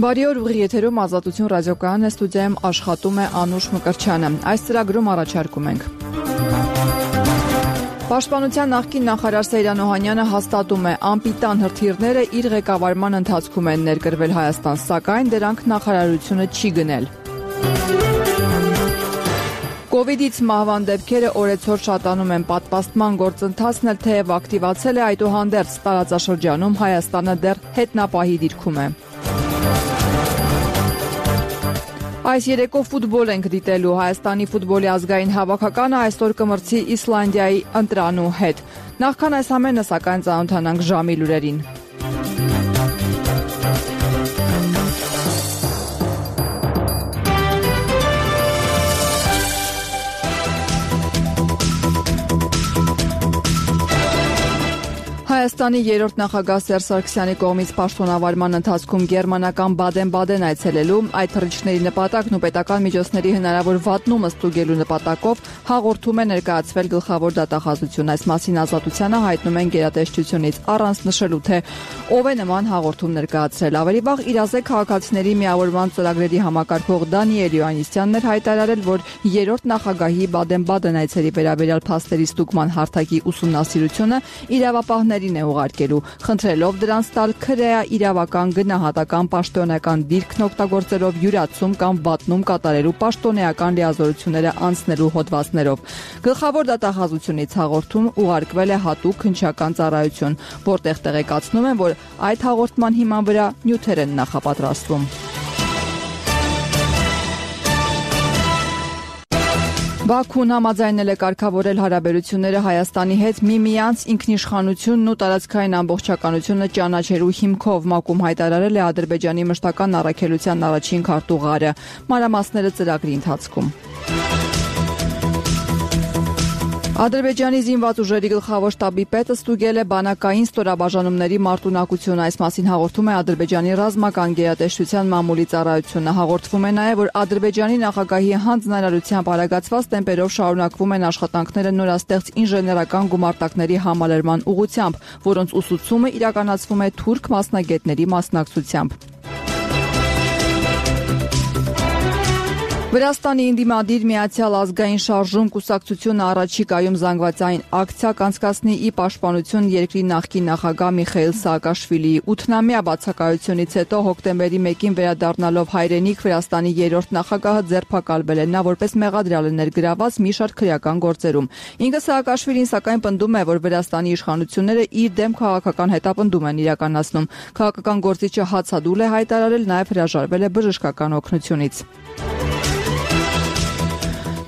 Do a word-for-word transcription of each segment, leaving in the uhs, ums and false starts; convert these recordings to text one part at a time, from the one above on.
Բարի օր, ուղիղ եթերում Ազատություն ռադիոկայանն է, ստուդիայում աշխատում է Անուշ Մկրտչյանը։ Այս ծրագրում առաջարկում ենք. Պաշտպանության նախկին նախարար Սեյրան Օհանյանը հաստատում է, անպիտան հրթիռները իր ղեկավարման ընթացքում են ներկրվել Հայաստան, սակայն դրանք նախարարությունը չի գնել։ Կովիդից մահվան դեպքերը օրեցօր շատանում են, պատվաստման գործընթացն էլ թեև ակտիվացել է, այդուհանդերձ տարածաշրջանում Հայաստանը դեռ հետնապահի դիրքում է։ Այս երեկո ֆուտբոլ ենք դիտելու, Հայաստանի ֆուտբոլի ազգային հավաքականը այսօր կմրցի Իսլանդիայի ընտրանու հետ։ Նախքան այս ամենը, սակայն ծանոթանանք ժամի լուրերին։ Հայաստանի երրորդ նախագահ Սերժ Սարգսյանի կողմից պաշտոնավարման ընթացքում գերմանական Բադեն-Բադեն այցելելու, այդ թռիչքների նպատակն ու պետական միջոցների հնարավոր վատնումը ստուգելու նպատակով հաղորդում է ներկայացվել գլխավոր դատախազություն։ Այս մասին Ազատությանը հայտնում են գերատեսչությունից, առանց նշելու, թե ով է նման հաղորդում ներկայացրել։ Ավելի վաղ իրազեկ քաղաքացիների միավորման ծրագրերի համակարգող Դանիել Յոհաննիսյանն էր հայտարարել, որ երրորդ նախագահի Բադեն-Բադեն այցերի վերաբերյալ փաստերի ստուգման հարթակի ուսումնասիրությունը իրավապահներին է ուղարկելու, խնդրելով դրանց տալ քրեա իրավական, գնահատական, պաշտոնական դիրքն օգտագործելով յուրացում կամ վատնում կատարելու պաշտոնեական լիազորությունները անցնելու հոդվածներով։ Գլխավոր դատախազությունից հաղորդում ուղարկվել է հատուկ քննչական ծառայություն, որտեղ տեղեկացնում են, որ այդ հաղորդման հիման վրա նյութեր են նախապատրաստվում։ Բաքուն համաձայնել է կարգավորել հարաբերությունները Հայաստանի հետ միմյանց ինքնիշխանությունն ու տարածքային ամբողջականությունը ճանաչելու հիմքով, ՄԱԿ-ում հայտարարել է Ադրբեջանի մշտական առաքելության առաջին քարտուղարը։ Մանրամասները ծրագրի ընթացքում։ Ադրբեջանի զինված ուժերի գլխավոր շտաբի պետը ստուգել է բանակային ստորաբաժանումների մարտունակությունը։ Այս մասին հաղորդում է Ադրբեջանի ռազմական գերատեսչության մամուլի ծառայությունը։ Հաղորդվում է նաև, որ Ադրբեջանի նախագահի հանձնարարությամբ արագացված տեմպերով շարունակվում են աշխատանքները նորաստեղծ ինժեներական գումարտակների համալրման ուղղությամբ, որոնց ուսուցումը իրականացվում է թուրք մասնագետների մասնակցությամբ։ Վրաստանի ընդդիմադիր Միացյալ ազգային շարժում կուսակցությունը առաջիկայում զանգվածային ակցիա կանցկացնի ի պաշտպանություն երկրի նախկին նախագահ Միխայիլ Սաակաշվիլիի ութնամյա բացակայությունից հետո հոկտեմբերի մեկին վերադառնալով հայրենիք Վրաստանի երրորդ նախագահը ձերբակալվել է, նա որպես մեղադրյալ է ներգրաված մի շարք քրեական գործերում։ Ինքը Սաակաշվիլին սակայն պնդում է, որ Վրաստանի իշխանությունները իր դեմ քաղաքական հետապնդում են իրականացնում։ Քաղաքական գործիչը հացադուլ է հայտարարել, նաև հրաժարվել է բժշկական օգնությունից։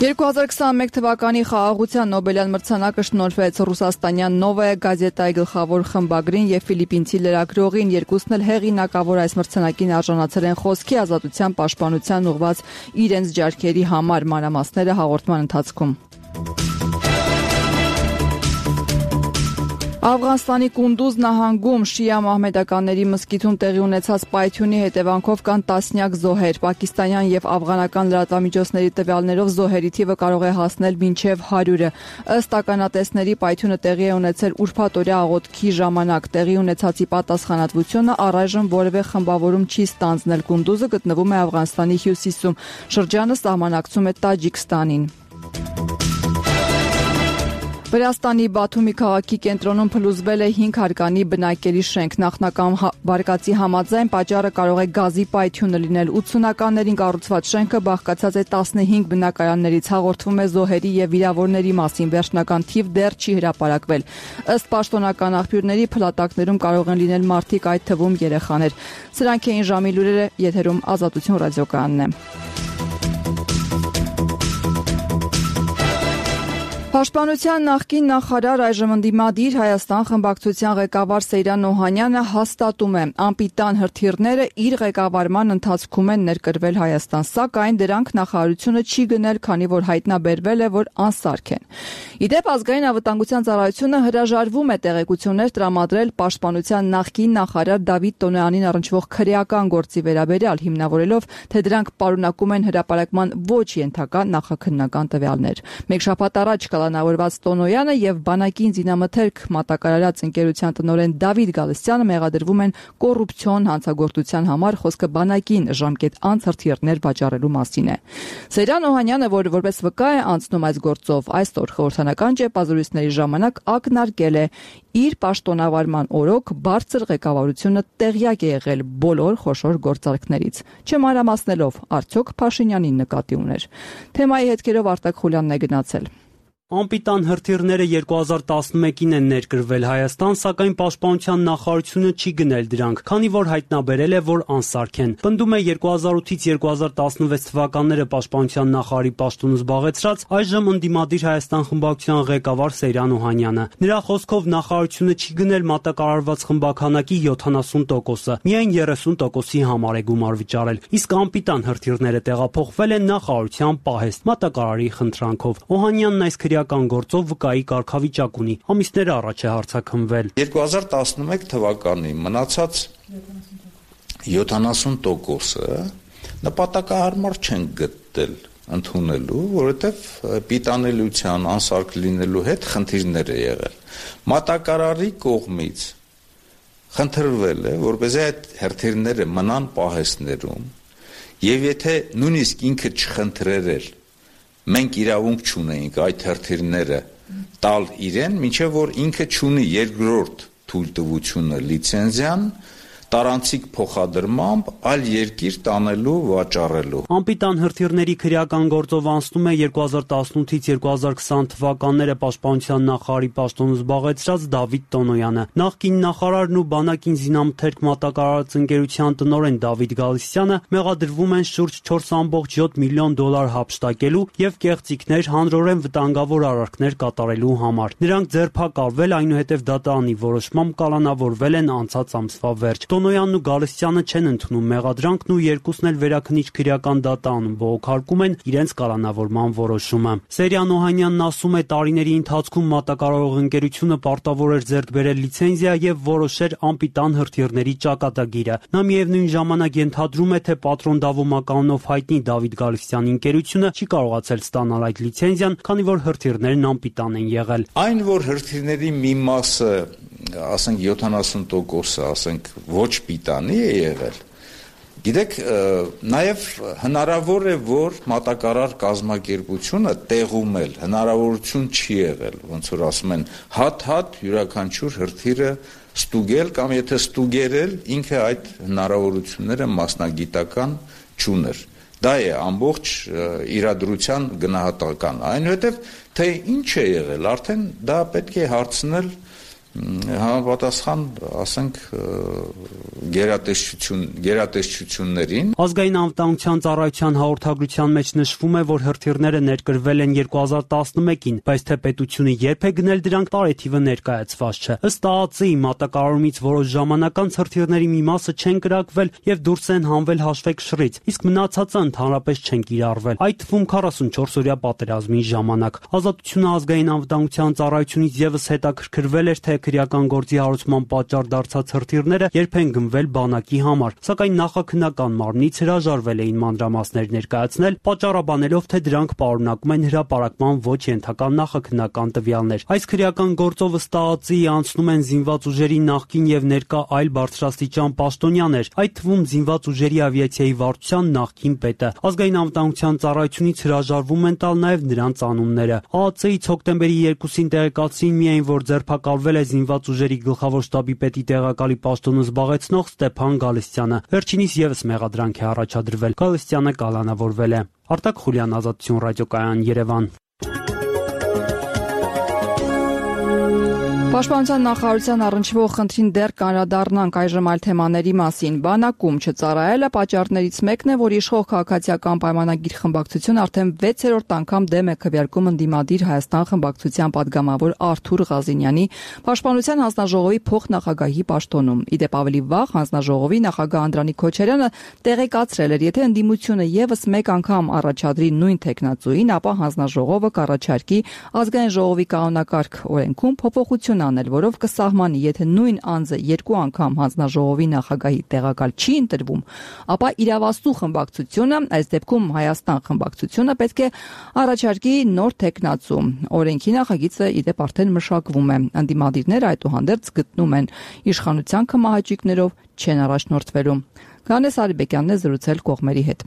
երկու հազար քսաներկու թվականի խաղաղության Նոբելյան մրցանակը շնորհվեց ռուսաստանյան Նովայա գազետայի գլխավոր խմբագրին եւ ֆիլիպինցի լրագրողին, երկուսն էլ հեղինակավոր այս մրցանակին արժանացել են խոսքի ազատության պաշտպանության ուղղված իրենց ջարքերի համար, մանրամասները հաղորդման ընթացքում։ Աֆղանստանի Կունդուզ նահանգում շիա մահմեդականների մզկիթում տեղի ունեցած պայթյունի հետևանքով կան տասնյակ զոհեր։ Պակիստանյան եւ աֆղանական լրատվամիջոցների տվյալներով զոհերի թիվը կարող է հասնել մինչեւ հարյուրը։ Ըստ ականատեսների պայթյունը տեղի է ունեցել ուրբաթօրյա աղոթքի ժամանակ։ Տեղի ունեցածի պատասխանատվությունը առայժմ որևէ խմբավորում չի ստանձնել։ Կունդուզը գտնվում է Աֆղանստանի հյուսիսում։ Շրջանը սահմանակցում է Տաջիկստանին։ Վրաստանի Բաթումի քաղաքի կենտրոնում փլուզվել է հինգ հարկանի բնակելի շենք։ Նախնական վարկածի համաձայն պատճառը կարող է գազի պայթյունը լինել։ ութսունականներին կառուցված շենքը բաղկացած է տասնհինգ բնակարաններից, հաղորդվում է զոհերի եւ վիրավորների մասին, վերջնական թիվ դեռ չի հրապարակվել։ Ըստ պաշտոնական աղբյուրների փլատակներում կարող են լինել մարդիկ, այդ թվում երեխաներ։ Սրանք էին ժամի լուրերը, եթերում Ազատություն ռադիոկայանն է։ Պաշտպանության նախկին նախարար, այժմ ընդդիմադիր Հայաստան խմբակցության ղեկավար Սեյրան Օհանյանը հաստատում է, անպիտան հրթիռները իր ղեկավարման ընթացքում են ներկրվել Հայաստան, սակայն դրանք նախարարությունը չի գնել, քանի որ հայտնաբերվել է, որ անսարք են։ Ի դեպ, ազգային անվտանգության ծառայությունը հրաժարվում է տեղեկություններ տրամադրել պաշտպանության նախկին նախարար Դավիթ Տոնոյանին առնչվող քրեական գործի վերաբերյալ, հիմնավորելով, թե դրանք պարունակում են հրապարակման ոչ ենթակա նախաքննական տվյալներ։ Մեկ շաբաթ առաջ կալանավորված Տոնոյանը եւ բանակին զինամթերք մատակարարած ընկերության տնօրեն Դավիթ Գալստյանը մեղադրվում են կոռուպցիոն հանցագործության համար, խոսքը բանակին ժամկետ անց հրթիռներ վաճառելու մասին է։ Սերյան Օհանյանը, որ որպես վկա է անցնում այս գործով, այսօր խորհրդանական ճեպազրույցների ժամանակ ակնարկել է իր պաշտոնավարման օրոք բարձր ղեկավարությունը տեղյակ է եղել բոլոր խոշոր գործարքներից, չմանրամասնելով արդյոք Փաշինյանին նկատի ուներ։ Թեմայի հետքերով Արտակ Խուլյանն է գնացել։ Անպիտան հրթիռները երկու հազար տասնմեկին են ներկրվել Հայաստան, սակայն Պաշտպանության նախարարությունը չի գնել դրանք, քանի որ հայտնաբերել է, որ անսարք են։ Պնդում է երկու հազար ութից երկու հազար տասնվեց թվականները Պաշտպանության նախարարի պաշտոն զբաղեցրած այժմ ընդդիմադիր Հայաստան խմբակցության ղեկավար Սերյան Օհանյանը։ Նրա խոսքով նախարարությունը չի գնել մատակարարված խմբականակի յոթանասուն տոկոսը, միայն երեսուն տոկոսի համար է գումար վճարել, իսկ անպիտան հրթիռները տեղափոխվել են նախարարության պահեստ մատակարարի խնդրանքով։ Օհանյանն այս քրեական գործով վկայի կարգավիճակ ունի, ամիսներ առաջ է հարցաքննվել։ երկու հազար տասնմեկ թվականի մնացած յոթանասուն տոկոսը նպատակահարմար չեն գտել ընդունելու, որովհետև պիտանելիության անսարք լինելու հետ խնդիրներ է եղել։ Մատակարարի կողմից խնդրվել է, որպեսզի այդ հրթիռները մնան պահեստներում, եւ եթե նույնիսկ ինքը չխնդրեր էր, մենք իրավունք չունեինք այդ հրթիռները տալ իրեն, մինչև որ ինքը չունի երկրորդ թույլտվությունը լիցենզիան տարանցիկ փոխադրմամբ այլ երկիր տանելու վաճառելու։ Անպիտան հրթիռների քրեական գործով անցնում է երկու հազար տասնութից երկու հազար քսան թվականները Պաշտպանության նախարարի պաշտոնը զբաղեցրած Դավիթ Տոնոյանը։ Նախկին նախարարն ու բանակին զինամթերք մատակարարած ընկերության տնօրեն Դավիթ Գալստյանը մեղադրվում են շուրջ չորս կόμma յոթ միլիոն դոլար հափշտակելու եւ կեղծիքներ հանրորեն վտանգավոր արարքներ կատարելու համար։ Նրանք ձերբակալվել, այնուհետև դատարանի որոշմամբ կալանավորվել են անցած ամսվա վերջ։ Տոնոյանն ու Գալստյանը չեն ընդունում մեղադրանքն ու երկուսն էլ վերաքննիչ քրեական դատարանում բողոքարկում են իրենց կալանավորման որոշումը։ Սերյան Օհանյանն ասում է, տարիների ընթացքում մատակարարող ընկերությունը պարտավոր էր ձեռք բերել լիցենզիա եւ որոշեր անպիտան հրթիռների ճակատագիրը։ Նա միևնույն ժամանակ ենթադրում է, թե Պատրոն Դավո մականունով հայտնի Դավիթ Գալստյանի ընկերությունը չի կարողացել ստանալ այդ լիցենզիան, քանի որ հրթիռներն անպիտան են եղել։ Այն, որ հրթիռների մի մասը, ասենք յոթանասուն տոկոսը, ասենք ոչ պիտանի է եղել։ Գիտեք, նաև հնարավոր է, որ մատակարար կազմակերպությունը տեղում էլ հնարավորություն չի եղել, ոնց որ ասում են, հատ-հատ յուրաքանչյուր հրթիռը ստուգել կամ եթե ստուգերել, ինքը այդ հնարավորությունները մասնագիտական չուներ։ Դա է ամբողջ իրադրության գնահատականը։ Այնուհետև թե ինչ է եղել, արդեն դա պետք է հարցնել համապատասխան, ասենք, գերատեսչություն, գերատեսչություններին։ Ազգային անվտանգության ծառայության հաղորդագրության մեջ նշվում է, որ հրթիռները ներկրվել են երկու հազար տասնմեկին, բայց թե պետությունը երբ է գնել դրանք, տարեթիվը ներկայացված չէ։ Ըստ ԱԱԾ-ի մատակարարումից որոշ ժամանակ անց հրթիռների մի մասը չեն կրակվել եւ դուրս են հանվել հաշվեկշռից, իսկ մնացածը ընդհանրապես չեն կիրառվել, այդ թվում քառասունչորս օրյա պատերազմի ժամանակ։ Ազատությունը ազգային անվտանգության ծառայությունից եւս հետաքրքրվել էր, թե քրեական գործի հարուցման պատճառ դարձած հրթիռները երբ են գնվել բանակի համար, սակայն նախաքննական մարմնից հրաժարվել էին մանրամասներ ներկայացնել, պատճառաբանելով, թե դրանք պարունակում են հրապարակման ոչ ենթակա նախաքննական տվյալներ։ Այս քրեական գործով ըստ ԱԱԾ-ի անցնում են զինված ուժերի նախկին եւ ներկա այլ բարձրաստիճան պաշտոնյաներ, այդ թվում զինված ուժերի ավիացիայի վարչության նախկին պետը։ Ազգային անվտանգության ծառայությունից հրաժարվում են տալ նաեւ նրանց անունները։ ԱԱԾ-ից հոկտեմբերի երկուսին տեղեկացրին միայն, որ ձերբակալվել է զինված ուժերի գլխավոր շտաբի պետի տեղակալի պաշտոնը զբաղեցնող Ստեփան Գալստյանը։ Վերջինիս եւս մեղադրանք է առաջադրվել։ Գալստյանը կալանավորվել է։ Արտակ Խուլյան, Ազատություն ռադիոկայան, Երևան։ Պաշտպանության նախարարության առնչվող խնդրին դեռ կանրադառնանք այժմ այլ թեմաների մասին։ Բանակում չծառայելը պատճառներից մեկն է, որ իշխող քաղաքացիական պայմանագիր խմբակցությունը արդեն վեցերորդ անգամ դեմ է քվեարկում ընդդիմադիր Հայաստան խմբակցության падգամավոր Արթուր Ղազինյանի Պաշտպանության հանձնաժողովի փոխնախագահի պաշտոնում։ Իդեպ ավելի վաղ հանձնաժողովի նախագահ Անդրանիկ Քոչարյանը տեղեկացրել էր, եթե ընդդիմությունը եւս մեկ անգամ առաջադրի նույն տեխնացուին, ապա հանձնաժողովը կառաջարկի ազգային ժողովի կանոնակարգ օրենքում փոփոխություն անել, որով կսահմանի, եթե նույն անձը երկու անգամ հանձնաժողովի նախագահի տեղակալ չի ընտրվում, ապա իրավասու խմբակցությունը, այս դեպքում Հայաստան խմբակցությունը, պետք է առաջարկի նոր թեկնածու։ Օրենքի նախագիծը ի դեպ արդեն մշակվում է։ Ընդդիմադիրները այդուհանդերձ գտնում են իշխանության կմահաճույքներով չեն առաջնորդվելու։ Գանես Արիբեկյանն է զրուցել կողմերի հետ։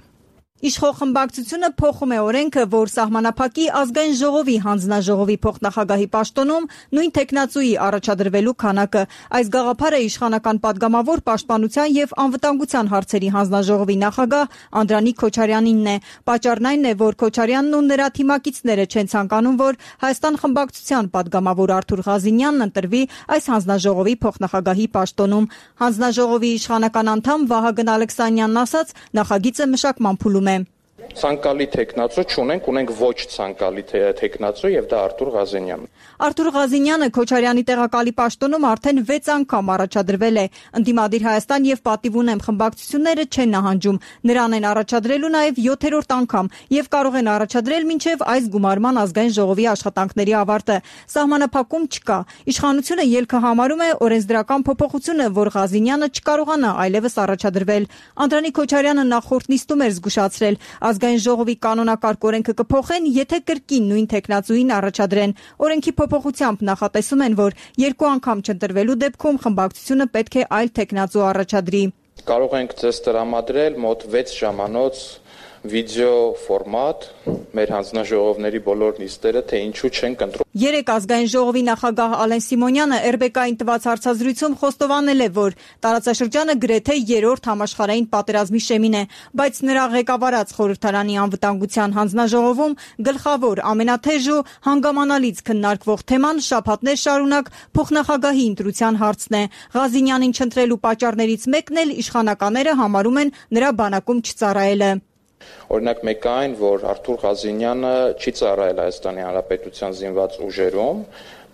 Իշխող խմբակցությունը փոխում է օրենքը, որ սահմանափակի ազգային ժողովի հանձնաժողովի փոխնախագահի պաշտոնում նույն թեկնածուի առաջադրվելու քանակը։ Այս գաղափարը իշխանական падգամավոր պաշտպանության եւ անվտանգության հարցերի հանձնաժողովի նախագահ Անդրանիկ Քոչարյանինն է։ Պատճառն այն է, որ Քոչարյանն ու նրա թիմակիցները չեն ցանկանում, որ Հայաստան խմբակցության падգամավոր Արթուր Ղազինյանն ընտրվի այս հանձնաժողովի փոխնախագահի պաշտոնում։ Հանձնաժողովի իշխանական անդամ Վահագն Ալեքսանյանն ասաց, նախագիծը մշակման փուլում է։ Ցանկալի տեխնացու չունենք, ունենք ոչ ցանկալի տեխնացու եւ դա Արթուր Ղազինյանն։ Արթուր Ղազինյանը Քոչարյանի տեղակալի պաշտոնում արդեն վեց անգամ առաջադրվել է։ Ընդդիմադիր Հայաստան եւ Պատիվ ունեմ խմբակցությունները չեն նահանջում։ Նրան են առաջադրելու նաեւ յոթերորդ անգամ եւ կարող են առաջադրել մինչեւ այս գումարման ազգային ժողովի աշխատանքների ավարտը։ Սահմանափակում չկա։ Իշխանությունը ելքը համարում է օրենսդրական փոփոխությունը, որ Ղազինյանը չկարողանա այլևս առաջադրվել։ Անդրանիկ Քոչարյանը նախորդ նիստում էր զգուշացրել, ազգային ժողովի կանոնակարգ օրենքը կփոխեն, եթե կրկին նույն տեխնացուին առաջադրեն։ Օրենքի փոփոխությամբ նախատեսում են, որ երկու անգամ չընտրվելու դեպքում խմբակցությունը պետք է այլ տեխնացու առաջադրի։ Կարող ենք ձեզ տրամադրել մոտ վեց ժամանոց վիդեո ֆորմատ մեր հանձնաժողովների բոլոր նիստերը, թե ինչու չեն կընտրում։ Երեք ազգային ժողովի նախագահ Ալեն Սիմոնյանը եր բե կային տված հարցազրույցում խոստովանել է, որ տարածաշրջանը գրեթե երրորդ համաշխարհային պատերազմի շեմին է, բայց նրա ղեկավարած խորհրդարանի անվտանգության հանձնաժողովում գլխավոր, ամենաթեժ ու հանգամանալից քննարկվող թեման շաբաթներ շարունակ փոխնախագահի ընտրության հարցն է։ Ղազինյանին չընտրելու պատճառներից մեկն էլ իշխանականները համարում են նրա բանակում չծառայելը։ Օրինակ մեկը այն, որ Արթուր Ղազինյանը չի ծառայել Հայաստանի Հանրապետության զինված ուժերում,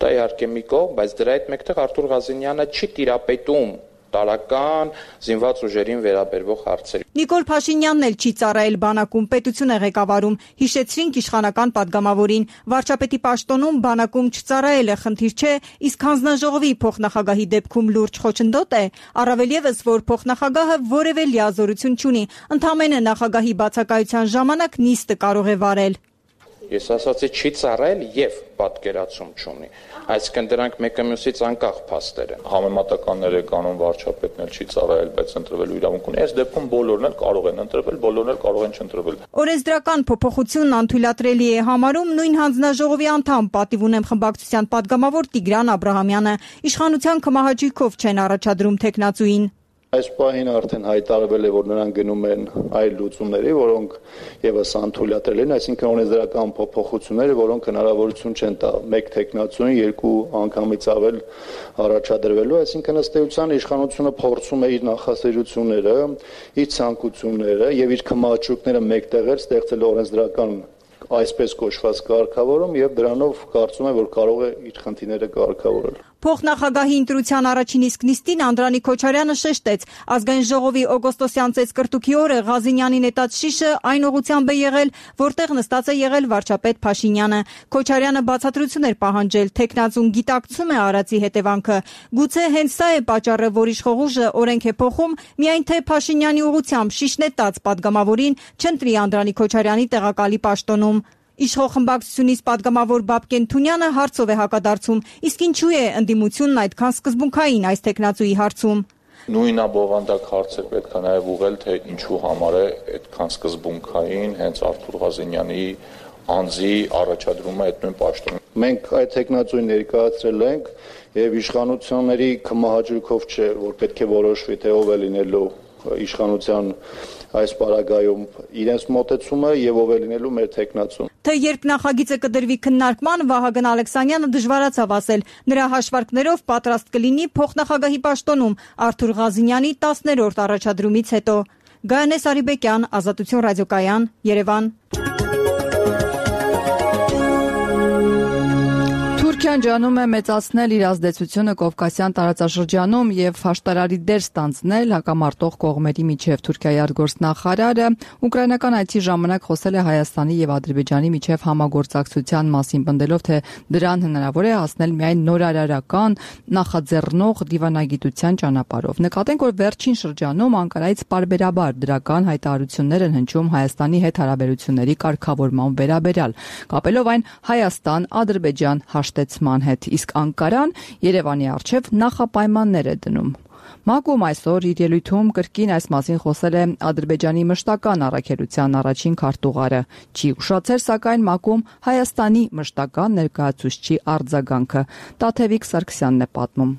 դա իհարկե մի կողմ, բայց դրա հետ մեկտեղ Արթուր Ղազինյանը չի տիրապետում տարական զինված ուժերին վերաբերվող հարցերի։ Նիկոլ Փաշինյանն էլ չի ծառայել բանակում, պետություն է ղեկավարում։ Հիշեցրինք իշխանական падգամավորին, վարչապետի պաշտոնում բանակում չծառայելը խնդիր չէ, իսկ հանձնաժողովի փոխնախագահի դեպքում լուրջ խոչընդոտ է։ Առավել եւս, որ փոխնախագահը որևէ լիազորություն չունի, ընդհանրապես նախագահի բացակայության ժամանակ նիստը կարող է վարել։ Ես ասացի չի ծառայել եւ պատկերացում չունի։ Այսինքն դրանք մեկը մյուսից անկախ փաստեր են։ Համեմատականներ է կանոն վարչապետն էլ չի ծառայել, բայց ընտրվելու իրավունք ունի։ Այս դեպքում բոլորն էլ կարող են ընտրվել, բոլորն էլ կարող են չընտրվել։ Օրենսդրական փոփոխությունն անթույլատրելի է համարում նույն հանձնաժողովի անդամ Պատիվ ունեմ խմբակցության падգամավոր Տիգրան Աբրահամյանը։ Իշխանության կմահաճույքով չեն առաջադրում տեխնացուին։ Այս պահին արդեն հայտարարվել է, որ նրանք գնում են այլ լուծումների, որոնք եւս անթույլատրել են, այսինքն օրենսդրական փոփոխությունները, որոնք հնարավորություն չեն տա մեկ տեխնացուին երկու անգամից ավել առաջադրվելու, այսինքն ըստ էության իշխանությունը փորձում է իր նախասիրությունները, իր ցանկությունները եւ իր կմահաճույքները մեկտեղել ստեղծել օրենսդրական այսպես կոչված կարգավորում եւ դրանով կարծում եմ, որ կարող է իր խնդիրները կարգավորել։ Փոխնախագահի ընտրության առաջին իսկ նիստին Անդրանիկ Քոչարյանը շեշտեց, ազգային ժողովի օգոստոսյան ծեծկրտուքի օրը Ղազինյանի նետած շիշը այն ուղղությամբ է եղել, որտեղ նստած է եղել վարչապետ Փաշինյանը։ Քոչարյանը բացատրություն էր պահանջել, տեխնացուն գիտակցում է արածի հետևանքը։ Գուցե հենց սա է պատճառը, որ իշխող ուժը օրենք է փոխում, միայն թե Փաշինյանի ուղղությամբ շիշ նետած падգամավորին չընտրի Անդրանիկ Քոչարյանի տեղակալի պաշտոնում։ Իշխող խմբակցությունից падգամավոր Բաբկեն Թունյանը հարցով է հակադարձում, իսկ ինչու է ընդդիմությունն այդքան սկզբունքային այս տեխնացուի հարցում։ Նույնաբովանդակ հարցեր պետք է նաև ուղղել, թե ինչու համար է այդքան սկզբունքային հենց Արթուր Ղազինյանի անձի առաջադրումը այդ նույն պաշտոնում։ Մենք այդ տեխնացուին ներկայացրել ենք եւ իշխանությունների կմահաճույքով չէ, որ պետք է որոշվի, թե ով է լինելու իշխանության այս պարագայում իրենց մոտեցումը եւ ով է լինելու մեր տեխնացուն։ Թե երբ նախագիծը կդրվի քննարկման, Վահագն Ալեքսանյանը դժվարացավ ասել։ Նրա հաշվարկներով պատրաստ կլինի փոխնախագահի պաշտոնում Արթուր Ղազինյանի տասներորդ առաջադրումից հետո։ Գայանես Արիբեկյան, Ազատություն ռադիոկայան, Երևան։ Թուրքիան ջանում է մեծացնել իր ազդեցությունը Կովկասյան տարածաշրջանում եւ հաշտարարի դեր ստանձնել հակամարտող կողմերի միջև։ Թուրքիայի արտգործնախարարը ուկրաինական այցի ժամանակ խոսել է Հայաստանի եւ Ադրբեջանի միջև համագործակցության մասին, պնդելով, թե դրան հնարավոր է հասնել միայն նորարարական նախաձեռնող դիվանագիտության ճանապարհով։ Նկատենք, որ վերջին շրջանում Անկարայից պարբերաբար դրական հայտարարություններ են հնչում Հայաստանի հետ հարաբերությունների կարգավորման վերաբերյալ, կապելով այն Հայաստան-Ադրբեջան հաշտեցման հետ, իսկ Անկարան Երևանի առջև նախապայմաններ է դնում։ ՄԱԿ-ում այսօր իր ելույթում կրկին այս մասին խոսել է Ադրբեջանի մշտական առաքելության առաջին քարտուղարը։ Չի ուշացել, սակայն ՄԱԿ-ում Հայաստանի մշտական ներկայացուցչի արձագանքը։ Տաթևիկ Սարգսյանն է պատմում։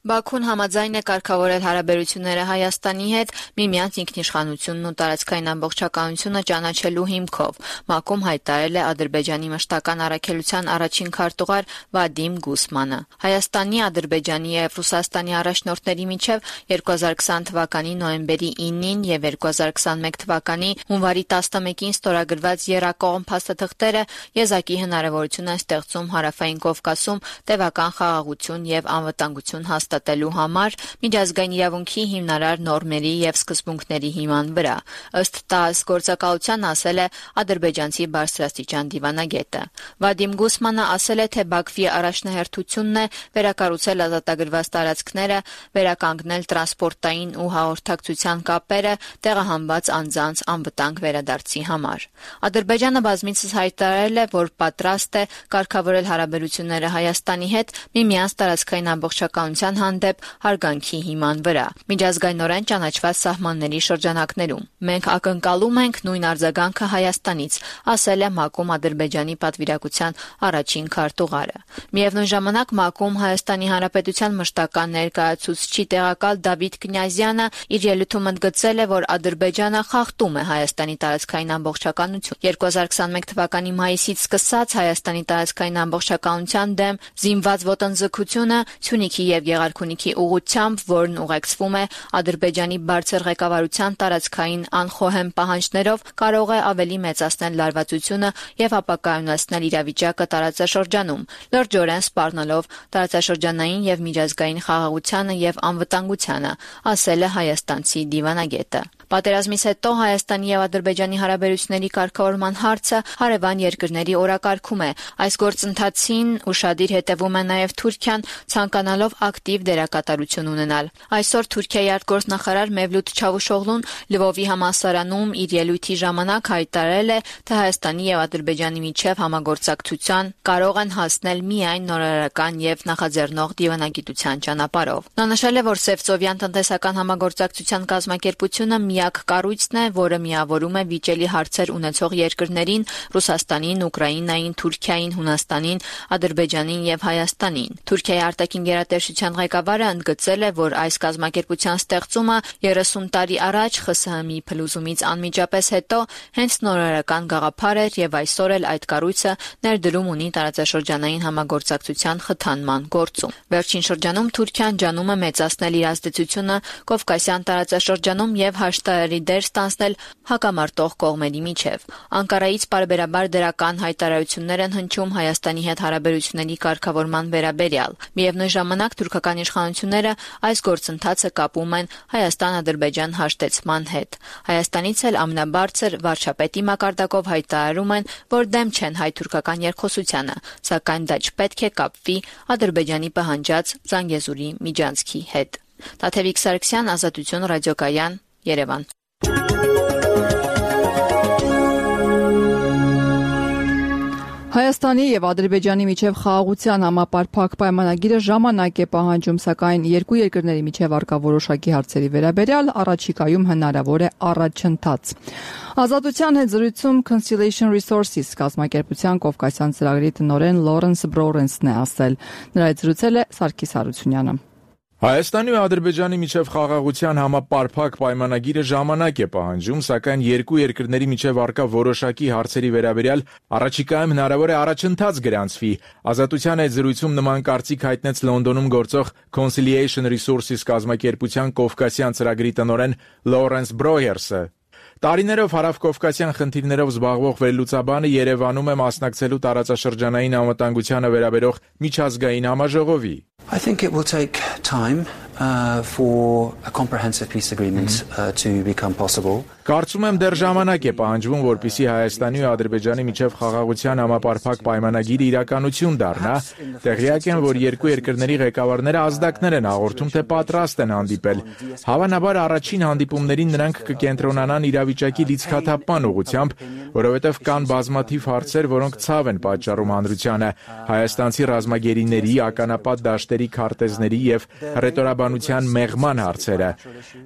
Բաքուն համաձայն է կարգավորել հարաբերությունները Հայաստանի հետ միմյանց ինքնիշխանությունն ու տարածքային ամբողջականությունը ճանաչելու հիմքով։ ՄԱԿ-ում հայտարարել է Ադրբեջանի մշտական առաքելության առաջին քարտուղար Վադիմ Գուսմանը։ Հայաստանի, Ադրբեջանի եւ Ռուսաստանի առաջնորդների միջև երկու հազար քսան թվականի նոյեմբերի ինին եւ երկու հազար քսանմեկ թվականի հունվարի տասնմեկին ստորագրված եռակողմ փաստաթղթերը եզակի հնարավորություն են ստեղծում Հարավային Կովկասում տևական խաղաղություն եւ անվտանգություն հաստատելու համար միջազգային իրավունքի հիմնարար նորմերի եւ սկզբունքների հիման վրա, ըստ ՏԱՍՍ գործակալության ասել է ադրբեջանցի բարձրաստիճան դիվանագետը։ Վադիմ Գուսմանը ասել է, թե Բաքվի առաջնահերթությունն է վերակառուցել ազատագրված տարածքները, վերականգնել տրանսպորտային ու հաղորդակցության կապերը, տեղահանված անձանց անվտանգ վերադարձի համար։ Ադրբեջանը բազմիցս հայտարարել է, որ պատրաստ է կարգավորել հարաբերությունները Հայաստանի հետ միմյանց տարածքային ամբողջականության հանդեպ հարգանքի հիման վրա, միջազգայնորեն ճանաչված սահմանների շրջանակներում։ Մենք ակնկալում ենք նույն արձագանքը Հայաստանից, ասել է ՄԱԿ-ում Ադրբեջանի պատվիրակության առաջին քարտուղարը։ Միևնույն ժամանակ ՄԱԿ-ում Հայաստանի Հանրապետության մշտական ներկայացուցչի տեղակալ Դավիթ Կնյազյանը իր ելույթում ընդգծել է, որ Ադրբեջանը խախտում է Հայաստանի տարածքային ամբողջականություն։ երկու հազար քսանմեկ թվականի մայիսից սկսած Հայաստանի տարածքային ամբողջականության դեմ զինված ոտնձգությունը Սյունիքի եւ Գեղարքունիքի ուղղությամբ, որն ուղեկցվում է Ադրբեջանի բարձր ղեկավարության տարածքային անխոհեմ պահանջներով, կարող է ավելի մեծացնել լարվածությունը եւ ապակայունացնել իրավիճակը տարածաշրջանում, լրջորեն սպառնալով տարածաշրջանային եւ միջազգային խաղաղությանը եւ անվտանգությանը, ասել է հայաստանցի դիվանագետը։ Պատերազմից հետո Հայաստանի եւ Ադրբեջանի հարաբերությունների կարգավորման հարցը հարևան երկրների օրակարգում է։ Այս գործընթացին ուշադիր հետևում է նաեւ Թուրքիան, ցանկանալով ակտիվ դերակատարություն ունենալ։ Այսօր Թուրքիայի արտգործնախարար Մևլութ Չավուշօղլուն Լվովի համալսարանում իր ելույթի ժամանակ հայտարարել է, թե Հայաստանի եւ Ադրբեջանի միջև համագործակցության կարող են հասնել միայն նորարարական եւ նախաձեռնող դիվանագիտության ճանապարհով։ Նա նշել է, որ Սևծովյան տնտեսական համագործակցության կազմակերպությունը միակ կառույցն է, որը միավորում է վիճելի հարցեր ունեցող երկրներին՝ Ռուսաստանին, Ուկրաինային, Թուրքիային, Հունաստանին, Ադրբեջանին եւ Հայաստանին։ Թուրքիայի արտաքին գերատեսչության ղեկավարը ընդգծել է, որ այս կազմակերպության ստեղծումը երեսուն տարի առաջ ԽՍՀՄ-ի փլուզումից անմիջապես հետո հենց նորարարական գաղափար էր եւ այսօր էլ այդ կառույցը ներդրում ունի տարածաշրջանային համագործակցության խթանման գործում։ Վերջին շրջանում Թուրքիան ջանում է մեծացնել իր ազդեցությունը Կովկասյան տարածաշրջանում եւ հաշտարարի դեր ստանձնել հակամարտող կողմերի միջև։ Անկարայից պարբերաբար դրական հայտարարություններ են հնչում Հայաստանի հետ հարաբերությունների կարգավորման վերաբերյալ։ Միևնույն ժամանակ թուրքական իշխանությունները այս գործընթացը կապում են Հայաստան-Ադրբեջան հաշտեցման հետ։ Հայաստանից էլ ամենաբարձր վարչապետի մակարդակով հայտարարում են, որ դեմ չեն հայ-թուրքական երկխոսությանը, սակայն դա չպետք է կապվի Ադրբեջանի պահանջած Զանգեզուրի միջանցքի հետ։ Տաթևիկ Սարգսյան, Ազատություն ռադիոկայան, Երևան։ Հայաստանի եւ Ադրբեջանի միջև խաղաղության համապարփակ պայմանագիրը ժամանակ է պահանջում, սակայն երկու երկրների միջև առկա որոշակի հարցերի վերաբերյալ առաջիկայում հնարավոր է առաջընթաց։ Ազատության հետ զրույցում Conciliation Resources կազմակերպության Կովկասյան ծրագրի տնօրեն Լորենս Բրորենսն է ասել։ Նրա հետ զրուցել է Սարգիս Հարությունյանը։ Հայաստանի ու Ադրբեջանի միջև խաղաղության համապարփակ պայմանագիրը ժամանակ է պահանջում, սակայն երկու երկրների միջև առկա որոշակի հարցերի վերաբերյալ առաջիկայում հնարավոր է առաջընթաց գրանցվի։ Ազատության հետ զրույցում նման կարծիք հայտնեց Լոնդոնում գործող Conciliation Resources կազմակերպության Կովկասյան ծրագրի տնօրեն Լորենս Բրոյերսը։ Տարիներով հարավկովկասյան խնդիրներով զբաղվող վերլուծաբանը Երևանում է մասնակցելու տարածաշրջանային անվտանգությանը վերաբերող միջազգային համաժողովի. I think it will take time uh, for a comprehensive peace agreement uh, to become possible. Կարծում եմ դեռ ժամանակ է պահանջվում, որպեսզի Հայաստանի ու Ադրբեջանի միջև խաղաղության համապարփակ պայմանագիրը իրականություն դառնա։ Տեղյակ եմ, որ երկու երկրների ղեկավարները ազդակներ են հաղորդում, թե պատրաստ են հանդիպել։ Հավանաբար առաջին հանդիպումներին նրանք կկենտրոնանան իրավիճակի լիցքաթափման ուղղությամբ, որովհետև կան բազմաթիվ հարցեր, որոնք ցավ են պատճառում հանրությանը։ Հայաստանցի ռազմագերիների, ականապատ դաշտերի քարտեզների եւ հռետորաբանության մեղման հարցերը։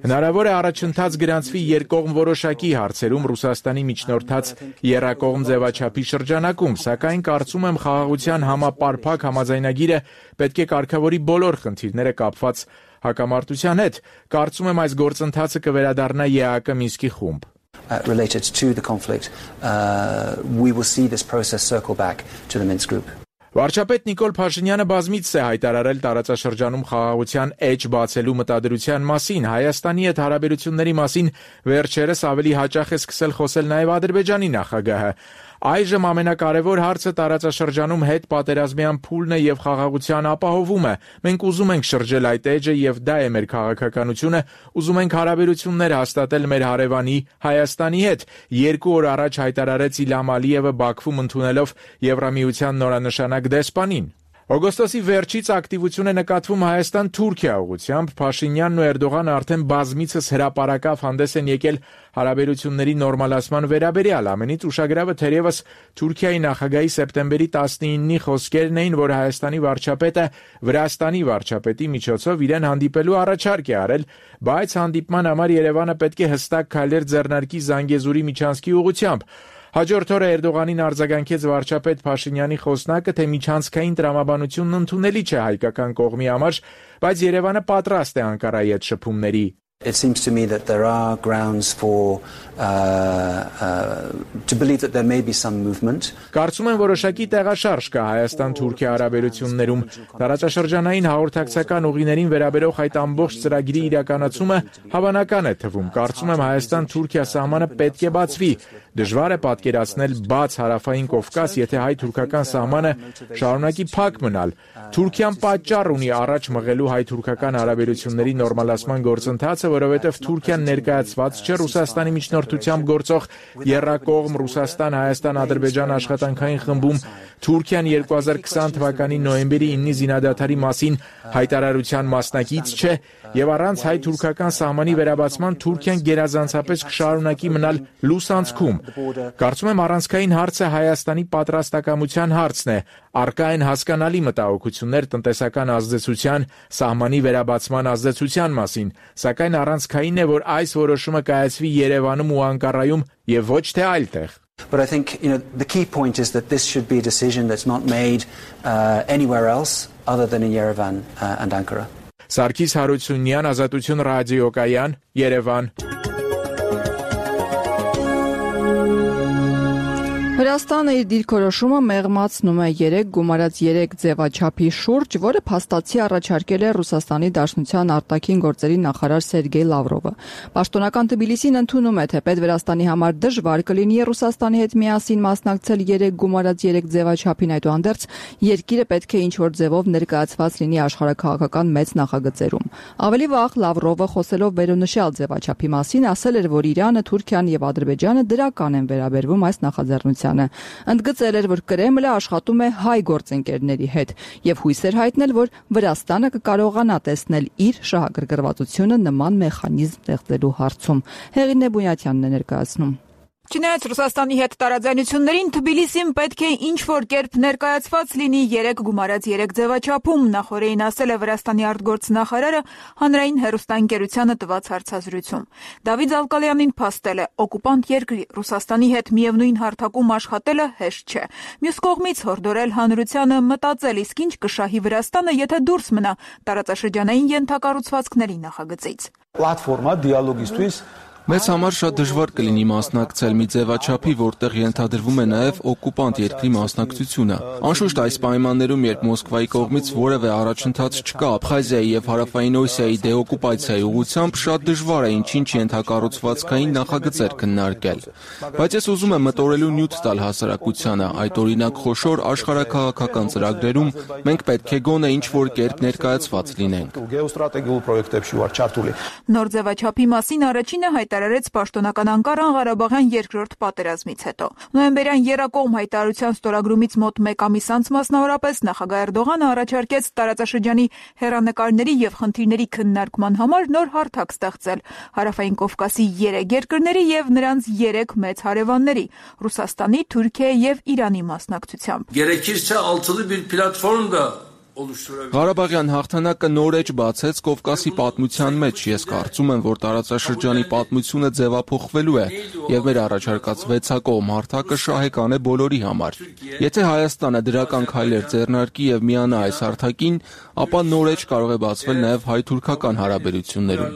Հնարավոր է առաջընթաց գրանցվի երկկողմ որոշակի հարցերում Ռուսաստանի միջնորդած եռակողմ ձևաչափի շրջանակում, սակայն կարծում եմ խաղաղության համապարփակ համաձայնագիրը պետք է կարգավորի բոլոր խնդիրները կապված հակամարտության հետ։ Կարծում եմ այս գործընթացը կվերադառնա ԵԱՀԿ Մինսկի խումբ։ Uh, related to the conflict, uh, we will see this process circle back to the Minsk group. Վարչապետ Նիկոլ Փաշինյանը բազմիցս է հայտարարել տարածաշրջանում խաղաղության էջ բացելու մտադրության մասին, Հայաստանի հետ հարաբերությունների մասին վերջերս ավելի հաճախ է սկսել խոսել նաև Ադրբեջանի նախագահը։ Այժմ ամենակարևոր հարցը տարածաշրջանում հետ պատերազմյան փուլն է եւ խաղաղության ապահովումը։ Մենք ուզում ենք շրջել այդ էջը եւ դա է մեր քաղաքականությունը, ուզում ենք հարաբերություններ հաստատել մեր հարևանի Հայաստանի հետ։ Երկու օր առաջ հայտարարեց Իլհամ Ալիևը Բաքվում ընդունելով Եվրամիության նորանշանակ դեսպանին։ Օգոստոսի վերջից ակտիվություն է նկատվում Հայաստան-Թուրքիա ուղղությամբ, Փաշինյանն ու Էրդողանը արդեն բազմիցս հրապարակավ հանդես են եկել հարաբերությունների նորմալացման վերաբերյալ, ամենից ուշագրավը թերևս Թուրքիայի նախագահի սեպտեմբերի տասնինի խոսքերն էին, որ Հայաստանի վարչապետը Վրաստանի վարչապետի միջոցով իրեն հանդիպելու առաջարկ է արել, բայց հանդիպման համար Երևանը պետք է հստակ քայլեր ձեռնարկի Զանգեզուրի միջանցքի ուղղությամբ։ Հաջորդ օրը Էրդողանին արձագանքեց վարչապետ Փաշինյանի խոսնակը, թե միջանցքային տրամաբանությունն ընդունելի չէ հայկական կողմի համար, բայց Երևանը պատրաստ է Անկարայի հետ շփումների։ It seems to me that there are grounds for uh, uh, to believe that there may be some movement. Կարծում եմ որոշակի տեղաշարժ կա Հայաստան-Թուրքիա հարաբերություններում։ Տարածաշրջանային հաղորդակցական ուղիներին վերաբերող այդ ամբողջ ծրագրի իրականացումը հավանական է թվում։ Կարծում եմ Հայաստան-Թուրքիա սահմանը պետք է բացվի։ Դժվար է պատկերացնել բաց հարավային Կովկաս, եթե հայ-թուրքական սահմանը շարունակի փակ մնալ։ Թուրքիան պատճառ ունի առաջ մղելու հայ-թուրքական հարաբերությունների նորմալացման գործընթացը, որովհետև Թուրքիան ներկայացված չէ Ռուսաստանի միջնորդությամբ գործող եռակողմ Ռուսաստան-Հայաստան-Ադրբեջան աշխատանքային խմբում։ Թուրքիան երկու հազար քսան թվականի նոյեմբերի իննի զինադադարի մասին հայտարարության մասնակից չէ եւ առանց հայ-թուրքական սահմանի վերաբացման Թուրքիան գերազանցապես կշարունակի մնալ լուսանցքում։ Կարծում եմ առանցքային հարցը Հայաստանի պատրաստակամության հարցն է։ Առկա են հասկանալի մտահոգություններ տնտեսական ազդեցության, սահմանի վերաբացման ազդեցության մասին, սակայն առանցքային է, որ այս որոշումը կայացվի Երևանում ու Անկարայում եւ ոչ թե այլտեղ։ But I think, you know, the key point is that this should be a decision that's not made uh, anywhere else other than in Yerevan uh, and Ankara. Սարգիս Հարությունյան, Ազատություն ռադիոկայան, Երևան։ Վրաստանը իր դիրքորոշումը մեղմացնում է երեք գումարած երեք ձևաչափի շուրջ, որը փաստացի առաջարկել է Ռուսաստանի Դաշնության արտաքին գործերի նախարար Սերգեյ Լավրովը։ Պաշտոնական Թբիլիսին ընդունում է, թե պետ Վրաստանի համար դժվար կլինի Ռուսաստանի հետ միասին մասնակցել երեք գումարած երեք ձևաչափին, այդուհանդերձ երկիրը պետք է ինչ-որ ձևով ներկայացված լինի աշխարհաքաղաքական մեծ նախագծերում։ Ավելի վաղ Լավրովը խոսելով վերոնշյալ ձևաչափի մասին ասել էր, որ Իրանը, Թուրքիան եւ Ադրբեջանը դրական են վերաբերվում այս նախաձեռնությանը։ Ընդգծել էր, որ Կրեմլը աշխատում է հայ գործընկերների հետ եւ հույս էր հայտնել, որ Վրաստանը կկարողանա տեսնել իր շահագրգռվածությունը նման մեխանիզմ ստեղծելու հարցում։ Հեղինե Բունյատյանն է ներկայացնում։ Չնայած Ռուսաստանի հետ տարաձայնություններին Թբիլիսին պետք է ինչ-որ կերպ ներկայացված լինի երեք գումարած երեք ձևաչափում, նախորդին ասել է Վրաստանի արտգործնախարարը հանրային հեռուստաընկերությանը տված հարցազրույցում։ Դավիթ Զալկալյանին փաստել է, օկուպանտ երկրի Ռուսաստանի հետ միևնույն հարթակում աշխատելը հեշտ չէ։ Մյուս կողմից հորդորել հանրությանը մտածել, իսկ ինչ կշահի Վրաստանը, եթե դուրս մնա տարածաշրջանային ենթակառուցվածքների նախագծից։ Պլատֆորմա դիալոգիստուց Մեզ համար շատ դժվար կլինի մասնակցել մի ձևաչափի, որտեղ ենթադրվում է նաև օկուպանտ երկրի մասնակցությունը։ Անշուշտ այս պայմաններում, երբ Մոսկվայի կողմից որևէ առաջընթաց չկա Աբխազիայի եւ Հարավային Օսիայի դեօկուպացիայի ուղղությամբ, շատ դժվար է ինչ-ինչ ենթակառուցվածքային նախագծեր քննարկել։ Բայց ես ուզում եմ մտորելու նյութ տալ հասարակությանը, այդ օրինակ խոշոր աշխարհաքաղաքական ծրագրերում մենք պետք է գոնե ինչ-որ կերպ ներկայացված լինենք։ Նոր ձևաչափի մասին առաջինը հայտարարեց պաշտոնական Անկարան Ղարաբաղյան երկրորդ պատերազմից հետո։ Նոյեմբերյան եռակողմ հայտարարության ստորագրումից մոտ մեկ ամիս անց մասնավորապես նախագահ Էրդողանը առաջարկեց տարածաշրջանի հեռանկարների եւ խնդիրների քննարկման համար նոր հարթակ ստեղծել Հարավային Կովկասի երեք երկրների եւ նրանց երեք մեծ հարևանների՝ Ռուսաստանի, Թուրքիայի եւ Իրանի մասնակցությամբ։ Gerekirse altılı bir platform da Ղարաբաղյան հաղթանակը նոր էջ բացեց Կովկասի պատմության մեջ։ Ես կարծում եմ, որ տարածաշրջանի պատմությունը ձևափոխվելու է եւ մեր առաջարկած վեցակողմ հարթակը շահեկան է բոլորի համար։ Եթե Հայաստանը դրական քայլեր ձեռնարկի եւ միանա այս հարթակին, ապա նոր էջ կարող է բացվել նաեւ հայ-թուրքական հարաբերություններում։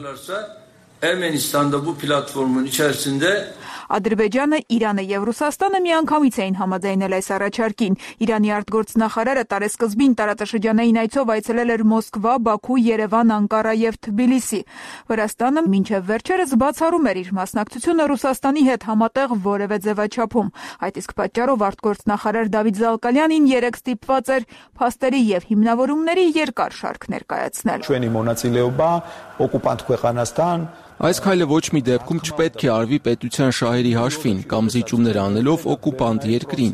Ermenistan'da bu platformun içerisinde Ադրբեջանը, Իրանը եւ Ռուսաստանը միանգամից էին համաձայնել այս առաջարկին։ Իրանի արտգործնախարարը տարեսկզբին տարածաշրջանային այցով այցելել էր Մոսկվա, Բաքու, Երևան, Անկարա եւ Թբիլիսի։ Վրաստանը մինչեւ վերջերս բացառում էր իր մասնակցությունը Ռուսաստանի հետ համատեղ որևէ ձևաչափում։ Այդ իսկ պատճառով արտգործնախարար Դավիթ Զալկալյանին երեք ստիպված էր փաստերի եւ հիմնավորումների երկար շարք ներկայացնել։ Ჩვენი მონაწილეობა օկուպանտ ქვეყանաստան Այս քայլը ոչ մի դեպքում չպետք է արվի պետության շահերի հաշվին կամ զիջումներ անելով օկուպանտ երկրին։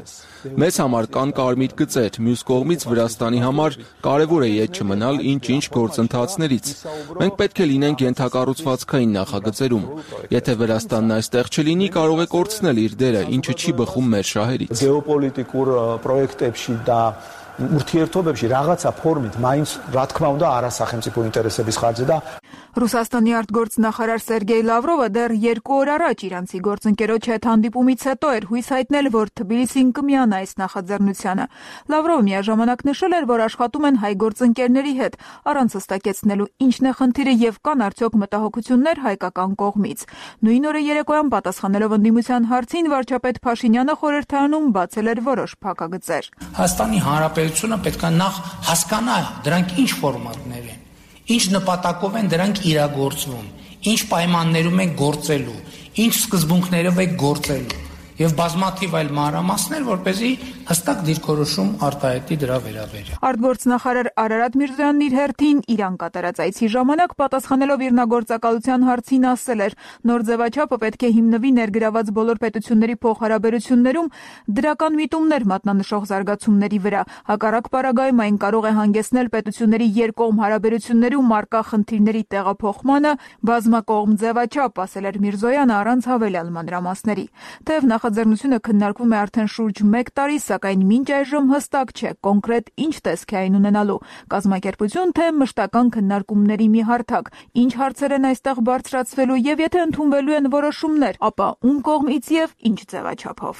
Մեզ համար կան կարմիր գծեր, մյուս կողմից Վրաստանի համար կարևոր է ետ չմնալ ինչ-ինչ գործընթացներից։ Մենք պետք է լինենք ենթակառուցվածքային նախագծերում։ Եթե Վրաստանն այստեղ չլինի, կարող է կորցնել իր դերը, ինչը չի բխում մեր շահերից։ Գեոպոլիտիկურ պրոյեկտებში դա ուրթիերթոբებში რაღაცա ֆորմით მაინც რა თქმა უნდა არასახელმწიფო ინტერესების ხარჯზე და Ռուսաստանի արտգործնախարար Սերգեյ Լավրովը դեռ երկու օր առաջ իրանցի գործընկերոջ հետ հանդիպումից հետո էր հույս հայտնել, որ Թբիլիսին կմիանա այս նախաձեռնությանը։ Լավրովը միաժամանակ նշել էր, որ աշխատում են հայ գործընկերների հետ, առանց հստակեցնելու ինչն է խնդիրը եւ կան արդյոք մտահոգություններ հայկական կողմից։ Նույն օրը երեկոյան պատասխանելով ընդդիմության հարցին վարչապետ Փաշինյանը խորհրդարանում բացել էր որոշ փակագծեր։ Հայաստանի Հանրապետությունը պետք է նախ հասկանա դրանք ինչ ֆորմատներ են, ինչ նպատակով են դրանք իրագործվում, ինչ պայմաններում են գործելու, ինչ սկզբունքներով է գործելու եւ բազմաթիվ այլ մանրամասներ, որպեսզի հստակ դիրքորոշում արտահայտի դրա վերաբերյալ։ Արտգործնախարար Արարատ Միրզոյանն իր հերթին Իրան կատարած այցի ժամանակ պատասխանելով իրնագործակալության հարցին ասել էր. նոր ձևաչափը պետք է հիմնվի ներգրաված բոլոր պետությունների փոխհարաբերություններում դրական միտումներ մատնանշող զարգացումների վրա։ Հակառակ պարագայում այն կարող է հանգեցնել պետությունների երկկողմ հարաբերություններում առկա խնդիրների տեղափոխմանը, բազմակողմ ձևաչափ, ասել էր Միրզոյանը առանց հավելյալ մանրամասների։ Թեև նախաձեռնությունը քննարկվում է արդեն շուրջ մեկ տարի, սակայն մինչ այժմ հստակ չէ կոնկրետ ինչ տեսք է այն ունենալու։ Կազմակերպություն թե մշտական քննարկումների մի հարթակ, ինչ հարցեր են այստեղ բարձրացվելու եւ եթե ընդունվելու են որոշումներ, ապա ում կողմից եւ ինչ ձևաչափով։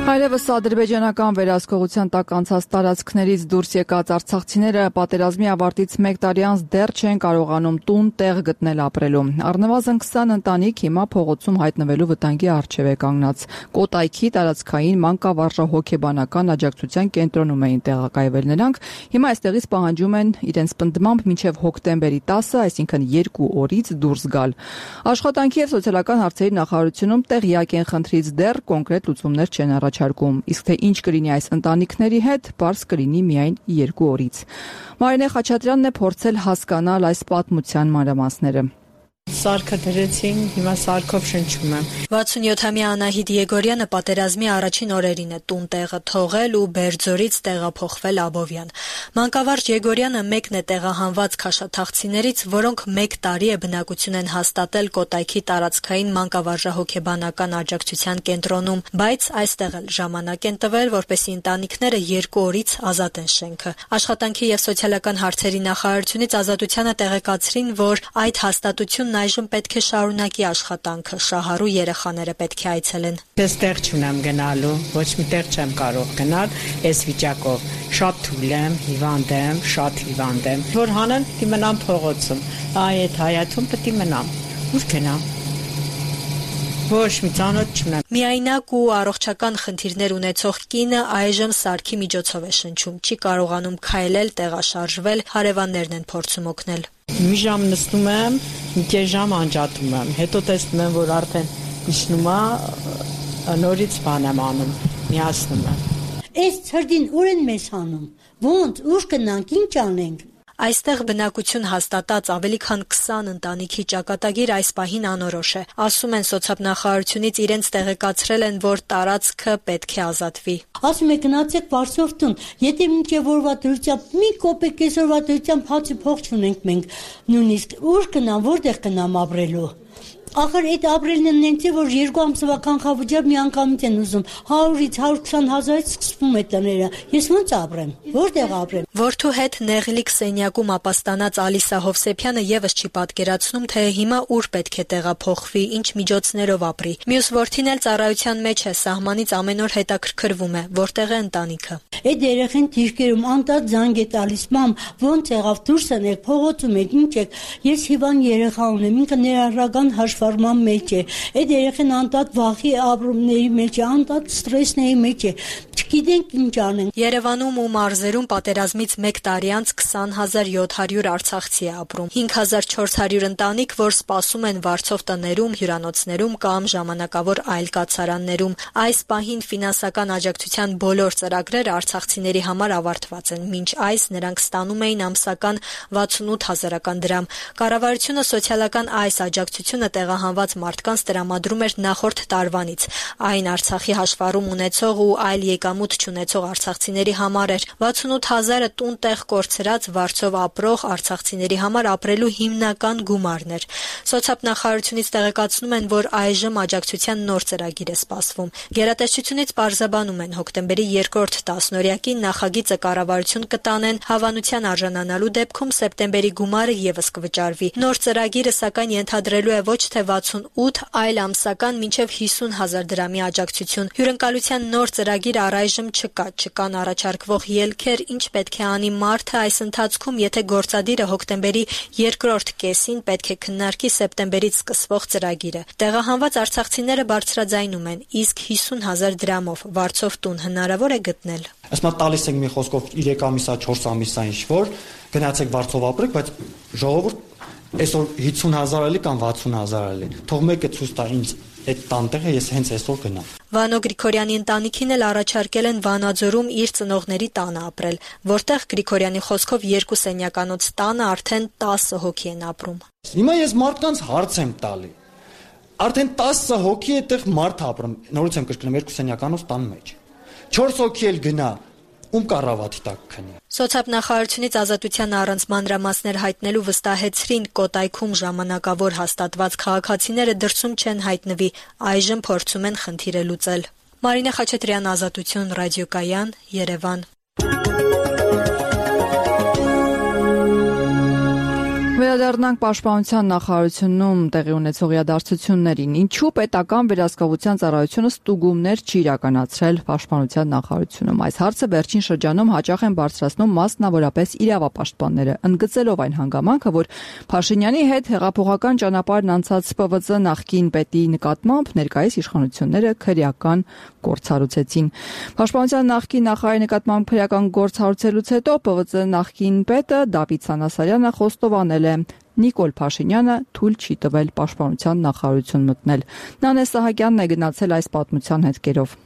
Այլևս ադրբեջանական վերահսկողության տակ անցած տարածքներից դուրս եկած արցախցիները պատերազմի ավարտից մեկ տարի անց դեռ չեն կարողանում տուն տեղ գտնել ապրելու։ Առնվազն քսան ընտանիք հիմա փողոցում հայտնվելու վտանգի առջև է կանգնած։ Կոտայքի տարածքային մանկավարժահոգեբանական աջակցության կենտրոնում էին տեղակայվել նրանք։ Հիմա այստեղից պահանջում են իրենց պնդմամբ մինչև հոկտեմբերի տասը, այսինքն երկու օրից դուրս գալ։ Աշխատանքի եւ սոցիալական հարցերի նախարարությունում տեղյակ են խնդրից, դեռ կոնկրետ լուծումներ չեն առաջարկում, իսկ թե ինչ կլինի այս ընտանիքների հետ, պարզ կլինի միայն երկու օրից։ Մարինե Խաչատրյանն է փորձել հասկանալ այս պատմության մանրամասները։ Սարքը դրեցին, հիմա սարքով շնչում եմ։ վաթսունյոթամյա Անահիտ Եգորյանը պատերազմի առաջին օրերին է տուն տեղը թողել ու Բերձորից տեղափոխվել Աբովյան։ Մանկավարժ Եգորյանը մեկն է տեղահանված քաշաթաղցիներից, որոնք մեկ տարի է բնակություն են հաստատել Կոտայքի տարածքային մանկավարժահոգեբանական աջակցության կենտրոնում, բայց այստեղ էլ ժամանակ են տվել, որպեսզի ընտանիքները երկու օրից ազատեն շենքը։ Աշխատանքի եւ սոցիալական հարցերի նախարարությունից Ազատությանը տեղեկացրին, որ այդ հաստատությունն Պաշտոնավարն այժմ պետք է շարունակի աշխատանքը, շահառու երեխաները պետք է այցելեն։ Այստեղ չունեմ գնալու, ոչ միտեղ չեմ կարող գնալ այս վիճակով։ Շատ թույլ եմ, հիվանդ եմ, շատ հիվանդ եմ։ Որ հանեն, պիտի մնամ փողոցում։ Այ այդ հայաթում պիտի մնամ։ Ուր գնամ։ Ոչ մի ծանոթ չունեմ։ Միայնակ ու առողջական խնդիրներ ունեցող կինը այժմ սարքի միջոցով է շնչում, չի կարողանում քայլել, տեղաշարժվել, հարևաններն են փորձում օգնել։ Մի ժամ նստում եմ, մի կես ժամ անջատում եմ, հետո տեսնում եմ, որ արդեն իջնում է, նորից բան եմ անում, միացնում եմ։ Այս ցրդին ուր են մեզ հանում։ Ոնց, ուր գնանք, ինչ անենք։ Այստեղ բնակություն հաստատած ավելի քան քսան ընտանիքի ճակատագիր այս պահին անորոշ է։ Ասում են սոցիալնախարարությունից իրենց տեղեկացրել են, որ տարածքը պետք է ազատվի։ Ասում եք գնացեք Վարշավ տուն, եթե մինչև օրվա դրությամբ մի կոպեկ կեսօրվա դրությամբ հացի փող չունենք մենք, նույնիսկ ուր գնամ, որտեղ գնամ ապրելու։ Ախր այդ ապրելն են նենց է, որ երկու ամսվա կանխավճար մի անգամից են ուզում, հարյուրից հարյուր քսան հազարից սկսվում է տները, ես ոնց ապրեմ, որտեղ ապրեմ։ Որդու հետ նեղլիկ սենյակում ապաստանած Ալիսա Հովսեփյանը եւս չի պատկերացնում, թե հիմա ուր պետք է տեղափոխվի, ինչ միջոցներով ապրի։ Մյուս որդին էլ ծառայության մեջ է, սահմանից ամեն օր հետաքրքրվում է, որտեղ է ընտանիքը։ Այդ երեխեն դիրքերում անտած զանգ է տալիս, մամ, ոնց եղավ, դուրս եք, փողոցում եք, ինչ եք։ Ես հիվանդ երեխա ունեմ, ինքը ներառական հաշվառման մեջ է։ Այդ երեխեն անտած վախի ապրումների մեջ է, անտած ստրեսների մեջ է։ Չգիտենք ինչ անենք։ Երևանում ու մարզերում պատերազմից մեկ տարի անց քսան հազար յոթ հարյուր արցախցի է ապրում։ հինգ հազար չորս հարյուր ընտանիք, որ սպասում են վարձով տներում, հյուրանոցներում կամ ժամանակավոր այլ կացարաններում։ Այս պահին ֆինանսական աջակցության բոլոր ծրագրերը արցախցիների համար ավարտված են։ Մինչ այս նրանք ստանում էին ամսական վաթսունութ հազարական դրամ։ Կառավարությունը սոցիալական այս աջակցությունը տեղահանված մարդկանց տրամադրում էր նախորդ տարվանից։ Այն Արցախի հաշվառում ունեցող ու այլ եկամուտ չունեցող արցախցիների համար էր։ վաթսունութ հազարը տուն-տեղ կորցրած վարձով ապրող արցախցիների համար ապրելու հիմնական գումարն էր։ Սոցիալնախարարությունից տեղեկացնում են, որ այժմ աջակցության նոր ծրագիր է սպասվում։ Գերատեսչությունից պարզաբանում են, հոկտեմբերի երկրորդ տասնօրյակին նախագիծը կառավարություն կտանեն, հավանության արժանանալու դեպքում սեպտեմբերի գումարը եւս կվճարվի։ Նոր ծրագիրը սակայն ենթադրելու է ոչ թե վաթսունութ, այլ ամսական մինչև հիսուն հազար դրամի աջակցություն։ Հյուրընկալության նոր ծրագիր առայժմ չկա, չկան առաջարկվող ելքեր, ինչ պետք է անի մարդը այս ընթացքում, եթե գործադիրը հոկտեմբերի երկրորդ կեսին պետք է քննարկի սեպտեմբերից սկսվող ծրագիրը։ Տեղահանված արցախցիները բարձրաձայնում են, իսկ հիսուն հազար դրամով վարձով տուն հնարավոր է գտնել։ Ասма տալիս ենք մի խոսքով երեք ամիսա, չորս ամիսա ինչ որ գնացեք վարձով ապրեք, բայց ժողովուրդ այսօր հիսուն հազար էլի կամ վաթսուն հազար էլի։ Թող մեկը ցույց տա ինձ այդ տանտեղը, ես հենց այսօր գնամ։ Վանո Գրիգորյանի ընտանիքին էլ առաջարկել են Վանաձորում իր ծնողների տանը ապրել, որտեղ Գրիգորյանի խոսքով երկու սենյականոց տանը արդեն տասը հոգի են ապրում։ Հիմա ես մարդկանց հարց եմ տալի։ Արդեն տասը հոգի այդտեղ մարդ ապրում։ Նորից եմ կրկնում, երկու սենյականոց տան մեջ։ չորս հոգի էլ գնա, ում կառավարի տակ քնի։ Սոցիալնախարարությունից ազատության առանց մանրամասներ հայտնելու վստահեցրին Կոտայքում ժամանակավոր հաստատված քաղաքացիները դրսում չեն հայտնվի, այժմ փորձում են խնդիրը լուծել։ Մարինե Խաչատրյան, Ազատություն, ռադիոկայան, Երևան։ Վերադառնանք Պաշտպանության նախարարությունում տեղի ունեցող իրադարձություններին։ Ինչու պետական վերահսկողության ծառայությունը ստուգումներ չի իրականացրել Պաշտպանության նախարարությունում։ Այս հարցը վերջին շրջանում հաճախ են բարձրացնում մասնավորապես իրավապաշտպանները, ընդգծելով այն հանգամանքը, որ Փաշինյանի հետ հեղափոխական ճանապարհն անցած Պ V Ծ նախկին պետի նկատմամբ ներկայիս իշխանությունները քրեական գործառույցեցին։ Պաշտպանության նախկին նախարարի նկատմամբ քրեական գործառույցելուց հետո Պ V Ծ նախկին պետը Դավիթ Սանասարյանը խոստովանել Նիկոլ Փաշինյանը թույլ չի տվել Պաշտպանության նախարարություն մտնել։ Նանե Սահակյանն է գնացել այս պատմության հետքերով։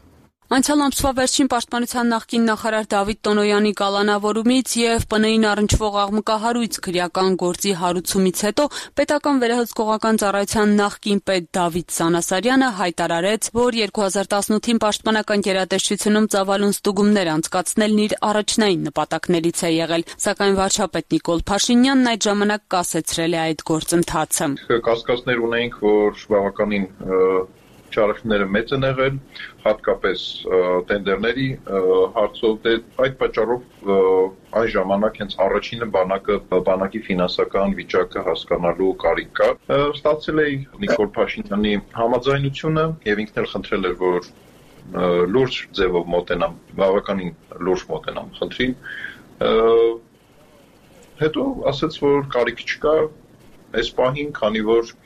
Անցյալ ամսվա վերջին Պաշտպանության նախկին նախարար Դավիթ Տոնոյանի կալանավորումից եւ Պ Ն I-ին առնչվող աղմկահարույց քրեական գործի հարուցումից հետո պետական վերահսկողական ծառայության նախկին պետ Դավիթ Սանասարյանը հայտարարեց, որ երկու հազար տասնութին պաշտպանական գերատեսչությունում ծավալուն ստուգումներ անցկացնելն իր առաջնային նպատակներից է եղել, սակայն վարչապետ Նիկոլ Փաշինյանն այդ ժամանակ կասեցրել է այդ գործընթացը։ Կասկածներ ունեինք, որ բավականին Չարախները մեծ են եղել, հատկապես տենդերների հարցով, դե այդ պատճառով այն ժամանակ հենց առաջինը բանակը բանակի ֆինանսական վիճակը հասկանալու կարիք կա։ Ստացել է Նիկոլ Փաշինյանի համաձայնությունը եւ ինքն էլ խնդրել էր, որ լուրջ ձևով մոտենամ, բավականին լուրջ մոտենամ խնդրին։ Հետո ասաց, որ կարիք չկա այս պահին, քանի որ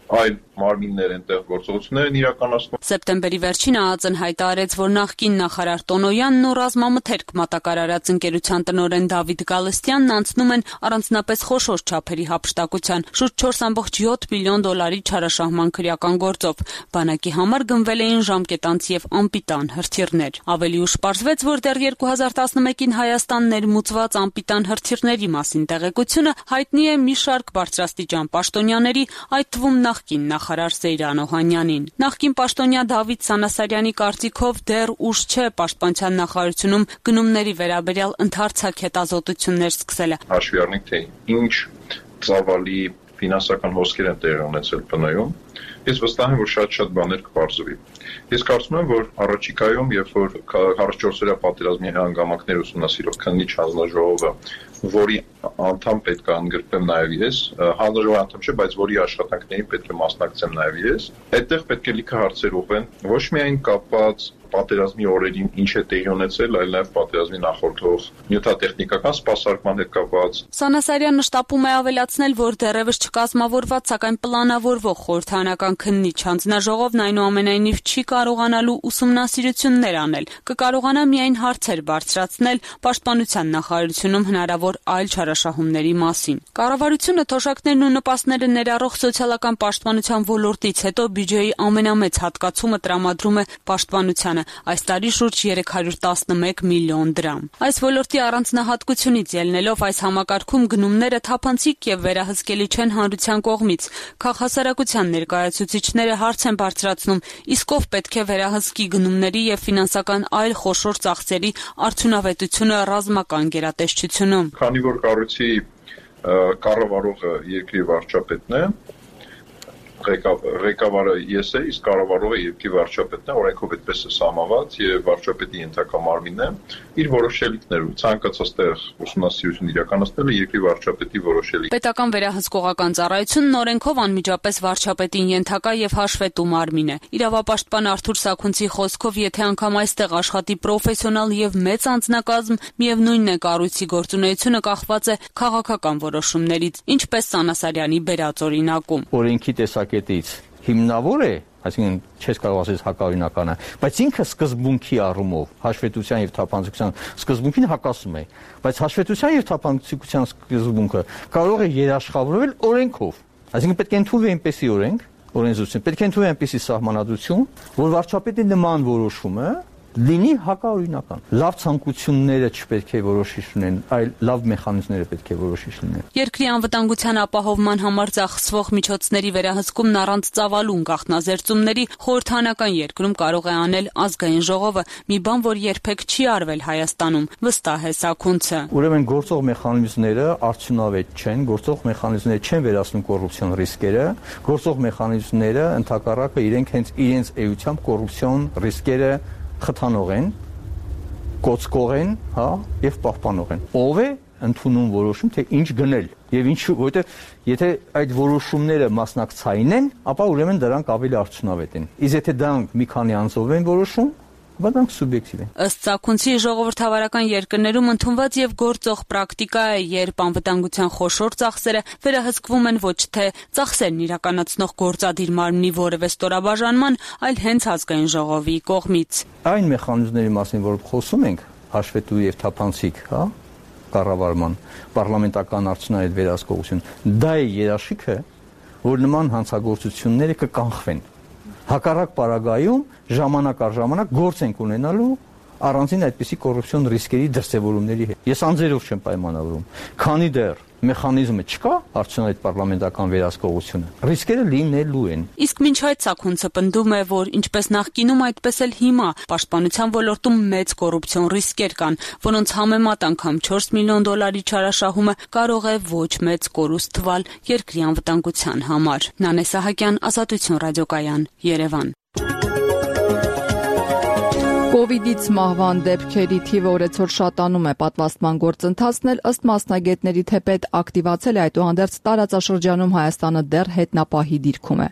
այլ մարմիններ այնտեղ գործողություններ են իրականացնում։ Սեպտեմբերի վերջին ԱԱԾ-ն հայտարարեց, որ նախկին նախարար Տոնոյանն ու ռազմամթերք մատակարարած ընկերության տնօրեն Դավիթ Գալստյանն անցնում են առանձնապես խոշոր չափերի հափշտակության, շուրջ չորս կόμμα յոթ միլիոն դոլարի չարաշահման քրեական գործով։ Բանակի համար գնվել էին ժամկետանց եւ անպիտան հրթիռներ։ Ավելի ուշ պարզվեց, որ դեռ երկու հազար տասնմեկին Հայաստան ներմուծված անպիտան հրթիռների մասին տեղեկությունը հայտնի է մի շարք բարձրաստիճան պաշտոնյաների, այդ թվում նախկին նախարար Սեյրան Օհանյանին։ Նախկին պաշտոնյա Դավիթ Սանասարյանի կարծիքով դեռ ուշ չէ Պաշտպանության նախարարությունում գնումների վերաբերյալ ընդհանրացակ հետազոտություններ սկսելը։ Հաշվի առնենք, թե ինչ ծավալի ֆինանսական հոսքեր են տեղի ունեցել ՊՆ-ում, ես վստահ եմ, որ շատ-շատ բաներ կպարզվի։ Ես կարծում եմ, որ առաջիկայում, երբ որ քառասունչորսօրյա պատերազմի հանգամանքներ ուսումնասիրող քննիչ հանձնաժողովը, որի անդամ պետք է ընդգրկվեմ նաև ես, հանձնաժողովի անդամ չէ, բայց որի աշխատանքներին պետք է մասնակցեմ նաև ես, այդտեղ պետք է լիքը հարցեր ուղղեն, ոչ միայն կապված պատերազմի օրերին ինչ է տեղի ունեցել, այլ նաև պատերազմի նախորդող նյութատեխնիկական սպասարկման հետ կապված։ Սանասարյանը շտապում է ավելացնել, որ դեռևս չկազմավորված, սակայն պլանավորվող խորհրդարանական քննիչ հանձնաժողովն այնուամենայնիվ չի կարողանալու ուսումնասիրություններ անել, կկարողանա միայն հարցեր բարձրացնել Պաշտպանության նախարարությունում հնարավոր այլ չարաշահումների մասին։ Կառավարությունը թոշակներն ու նպաստները ներառող սոցիալական պաշտպանության ոլորտից հետո բյուջեի ամենամեծ հատկացումը տրամադրում է պաշտպանությանը, այս տարի շուրջ երեք հարյուր տասնմեկ միլիոն դրամ։ Այս ոլորտի առանձնահատկությունից ելնելով այս համակարգում գնումները թափանցիկ եւ վերահսկելի չեն հանրության կողմից։ Քաղաքասարակության ներկայացուցիչները հարց են բարձրացնում, իսկ ով պետք է վերահսկի գնումների եւ ֆինանսական այլ խոշոր ծախսերի արդյունավետությունը ռազմական գերատեսչությունում։ Քանի որ կառույցի կառավարողը երկրի վարչապետն է, ղեկավարը ես է, իսկ կառավարողը երկրի վարչապետն է, օրենքով այդպես է սահմանված եւ վարչապետի ենթակա մարմինն է, իր որոշելիքներ ու ցանկացած տեղ ուսումնասիրություն իրականացնելը երկրի վարչապետի որոշելիք։ Պետական վերահսկողական ծառայությունն օրենքով անմիջապես վարչապետին ենթակա եւ հաշվետու մարմին է։ Իրավապաշտպան Արթուր Սաքունցի խոսքով, եթե անգամ այստեղ աշխատի պրոֆեսիոնալ եւ մեծ անձնակազմ, միևնույնն է կառույցի գործունեությունը կախված է քաղաքական որոշումներից, ինչպես Սանասարյանի բերած օրինակում։ Օրենքի տեսակետից հիմնավոր է, այսինքն չես կարող ասել հակաօրինական է, բայց ինքը սկզբունքի առումով հաշվետվության եւ թափանցիկության սկզբունքին հակասում է, բայց հաշվետվության եւ թափանցիկության սկզբունքը կարող է երաշխավորվել օրենքով, այսինքն պետք է ընդունվի այնպեսի օրենք, օրենսդրություն, պետք է ընդունվի այնպեսի սահմանադրություն, որ վարչապետի նման որոշումը լինի հակաօրինական։ Լավ ցանկությունները չպետք է որոշիչ լինեն, այլ լավ մեխանիզմները պետք է որոշիչ լինեն։ Երկրի անվտանգության ապահովման համար ծախսվող միջոցների վերահսկումն առանց ծավալուն գաղտնազերծումների խորհրդանական երկրում կարող է անել ազգային ժողովը, մի բան, որ երբեք չի արվել Հայաստանում, վստահ է Սաքունցը։ Ուրեմն գործող մեխանիզմները արդյունավետ չեն, գործող մեխանիզմները չեն վերացնում կոռուպցիոն ռիսկերը, գործող մեխանիզմները ընդհակառակը իրենք հենց իրենց էությամբ կոռուպցիոն ռիսկերը խթանող են, կոծկող են, հա, եւ պահպանող են։ Ով է ընդունում որոշում, թե ինչ գնել եւ ինչ, որովհետեւ եթե այդ որոշումները մասնակցային են, ապա ուրեմն դրանք ավելի արդյունավետ են։ Իսկ եթե դրանք մի քանի անձով են որոշում, ապա դրանք սուբյեկտիվ են։ Ըստ Սաքունցի, ժողովրդավարական երկրներում ընդունված եւ գործող պրակտիկա է, երբ անվտանգության խոշոր ծախսերը վերահսկվում են ոչ թե ծախսերն իրականացնող գործադիր մարմնի որևէ ստորաբաժանման, այլ հենց ազգային ժողովի կողմից։ Այն մեխանիզմների մասին, որ խոսում ենք, հաշվետու եւ թափանցիկ, հա, կառավարման, պարլամենտական արդյունավետ վերահսկողություն, դա է երաշխիքը, որ նման հանցագործությունները կկանխվեն։ Հակառակ պարագայում ժամանակ առ ժամանակ գործ ենք ունենալու առանձին այդպիսի կոռուպցիոն ռիսկերի դրսևորումների հետ։ Ես անձերով չեմ պայմանավորում, քանի դեռ մեխանիզմը չկա, արդյունավետ պարլամենտական վերահսկողությունը, ռիսկերը լինելու են։ Իսկ մինչ այդ Սաքունցը պնդում է, որ ինչպես նախկինում, այդպես էլ հիմա պաշտպանության ոլորտում մեծ կոռուպցիոն ռիսկեր կան, որոնց համեմատ անգամ չորս միլիոն դոլարի չարաշահումը կարող է ոչ մեծ կորուստ թվալ երկրի անվտանգության համար։ Նանե Սահակյան, Ազատություն ռադիոկայան, Երևան։ Կովիդից մահվան դեպքերի թիվը օրեցօր շատանում է, պատվաստման գործընթացն էլ ըստ մասնագետների թեպետ ակտիվացել է, այդուհանդերձ տարածաշրջանում Հայաստանը դեռ հետնապահի դիրքում է։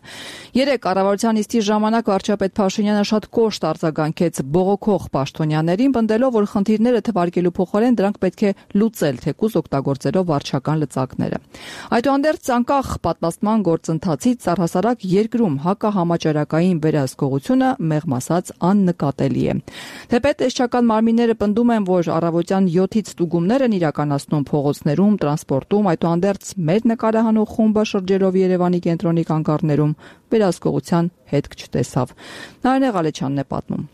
Երեկ կառավարության նիստի ժամանակ վարչապետ Փաշինյանը շատ կոշտ արձագանքեց բողոքող պաշտոնյաներին, պնդելով, որ խնդիրները թվարկելու փոխարեն դրանք պետք է լուծել, թեկուզ օգտագործելով վարչական լծակները։ Այդուհանդերձ անկախ պատվաստման գործընթացից առհասարակ երկրում հակահամաճարակային վերահսկողությունը մեղմ ասած աննկատելի է։ Թեպետ տեսչական մարմինները պնդում են, որ առավոտյան յոթից ստուգումներ են իրականացնում փողոցներում, տրանսպորտում, այդուհանդերձ մեր նկարահանող խումբը շրջելով Երևանի կենտրոնի կանգառներում վերահսկողության հետք չտեսավ։ Նարինե Ղալեչյանն է պատմում։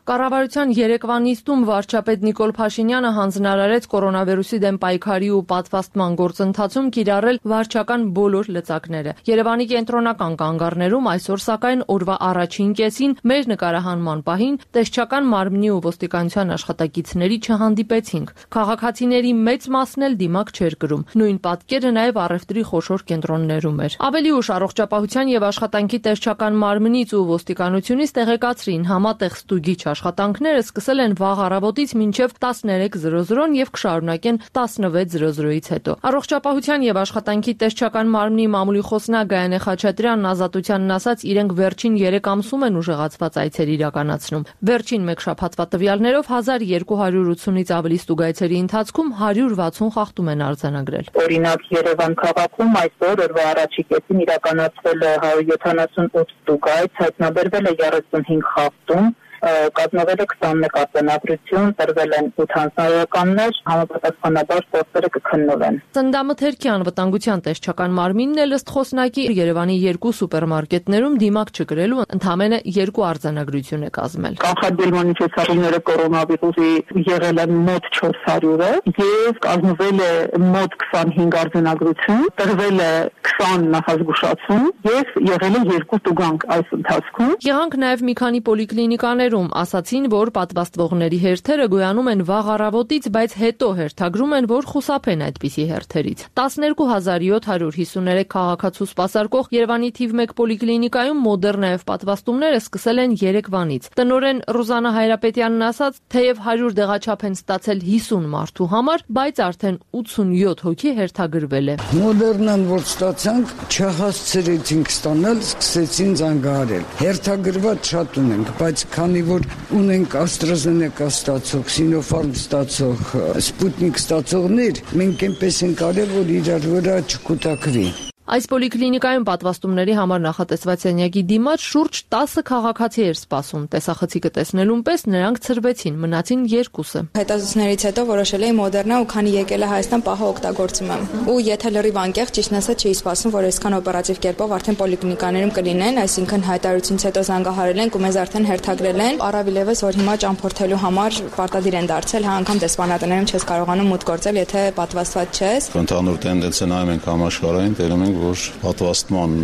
Կառավարության երեկվա նիստում վարչապետ Նիկոլ Փաշինյանը հանձնարարեց կորոնավիրուսի դեմ պայքարի ու պատվաստման գործընթացում կիրառել վարչական բոլոր լծակները։ Երևանի կենտրոնական կանգառներում այսօր սակայն օրվա առաջին կեսին մեր նկարահանման պահին տեսչական մարմնի ու ոստիկանության աշխատակիցների չհանդիպեցինք։ Քաղաքացիների մեծ մասն էլ դիմակ չէր կրում։ Նույն պատկերը նաև առևտրի խոշոր կենտրոններում էր։ Ավելի ուշ առողջապահության եւ աշխատանքի տեսչական մարմնից ու ոստիկանությունից տեղեկացրին համատեղ ստուգիչ աշխատանքները սկսել են վաղ առավոտից մինչև տասներեք զրո զրոն եւ կշարունակեն տասնվեց զրո զրոից հետո։ Առողջապահության եւ աշխատանքի տեսչական մարմնի մամուլի խոսնակ Գայանե Խաչատրյանն Ազատությանն ասաց, իրենք վերջին երեք ամսում են ուժեղացված այցեր իրականացնում։ Վերջին մեկ շաբաթվա տվյալներով հազար երկու հարյուր ութունից ավելի ստուգայցերի ընթացքում հարյուր վաթսուն խախտում են արձանագրել։ Օրինակ Երևան քաղաքում այսօր օրվա առաջի կեսին իրականացվել է հարյուր յոթանասունութ ստուգայց, հայտնաբերվել է երեսունհինգ խախտում, կազմվել է քսանմեկ արձանագրություն, տրվել են ութ հանձնարարականներ, համապատասխանաբար գործերը կքննվեն։ Ծննդամթերքի անվտանգության տեսչական մարմինն էլ ըստ խոսնակի Երևանի երկու սուպերմարկետներում դիմակ չկրելու ընդամենը երկու արձանագրություն է կազմել։ Կանխարգելման միջոցառումները կորոնավիրուսի եղել են մոտ չորս հարյուրը եւ կազմվել է մոտ քսանհինգ արձանագրություն, տրվել է քսան նախազգուշացում եւ եղել է երկու տուգանք այս ընթացքում։ Եղանք նաեւ մի քանի պոլիկլինիկաներ ասացին, որ պատվաստվողների հերթերը գոյանում են վաղ առավոտից, բայց հետո հերթագրում են, որ խուսափեն այդպիսի հերթերից։ տասներկու հազար յոթ հարյուր հիսուներեք քաղաքացու սպասարկող Երևանի թիվ մեկ պոլիկլինիկայում մոդեռնայով պատվաստումները սկսել են երեկվանից։ Տնօրեն Ռուզանա Հայրապետյանն ասաց, թեև հարյուր դեղաչափ են ստացել հիսուն մարդու համար, բայց արդեն ութսունյոթ հոգի հերթագրվել է։ Մոդեռնան որ ստացանք, չհասցրեցինք ստանալ, սկսեցին զանգահարել։ Հերթագրված շատ ունենք, բայց քանի որ ունենք AstraZeneca ստացող, Sinopharm ստացող, Sputnik ստացողներ, մենք այնպես ենք արել, որ իրար վրա չկուտակվի։ Այս պոլիկլինիկայում պատվաստումների համար նախատեսված սենյակի դիմաց շուրջ տասը քաղաքացի էր սպասում։ Տեսախցիկը տեսնելուն պես նրանք ցրվեցին, մնացին երկուսը։ Հետազոտություններից հետո որոշել էի Մոդեռնա ու քանի եկել է Հայաստան պահը օգտագործում եմ։ Ու եթե լրիվ անկեղծ ճիշտն ասած չի սպասում, որ այսքան օպերատիվ կերպով արդեն պոլիկլինիկաներում կլինեն, այսինքն հայտարարությունից հետո զանգահարել են ու մեզ արդեն հերթագրել են։ Առավել եւս որ հիմա ճամփորդելու համար պարտադիր են դարձել, հա անգամ դեսպանատներում չես կարողանում մուտք գործել, եթե պատվաստված չես։ Ընդհանուր տենդենսը նայում ենք համաշխարհային, տերում ենք որ պատվաստման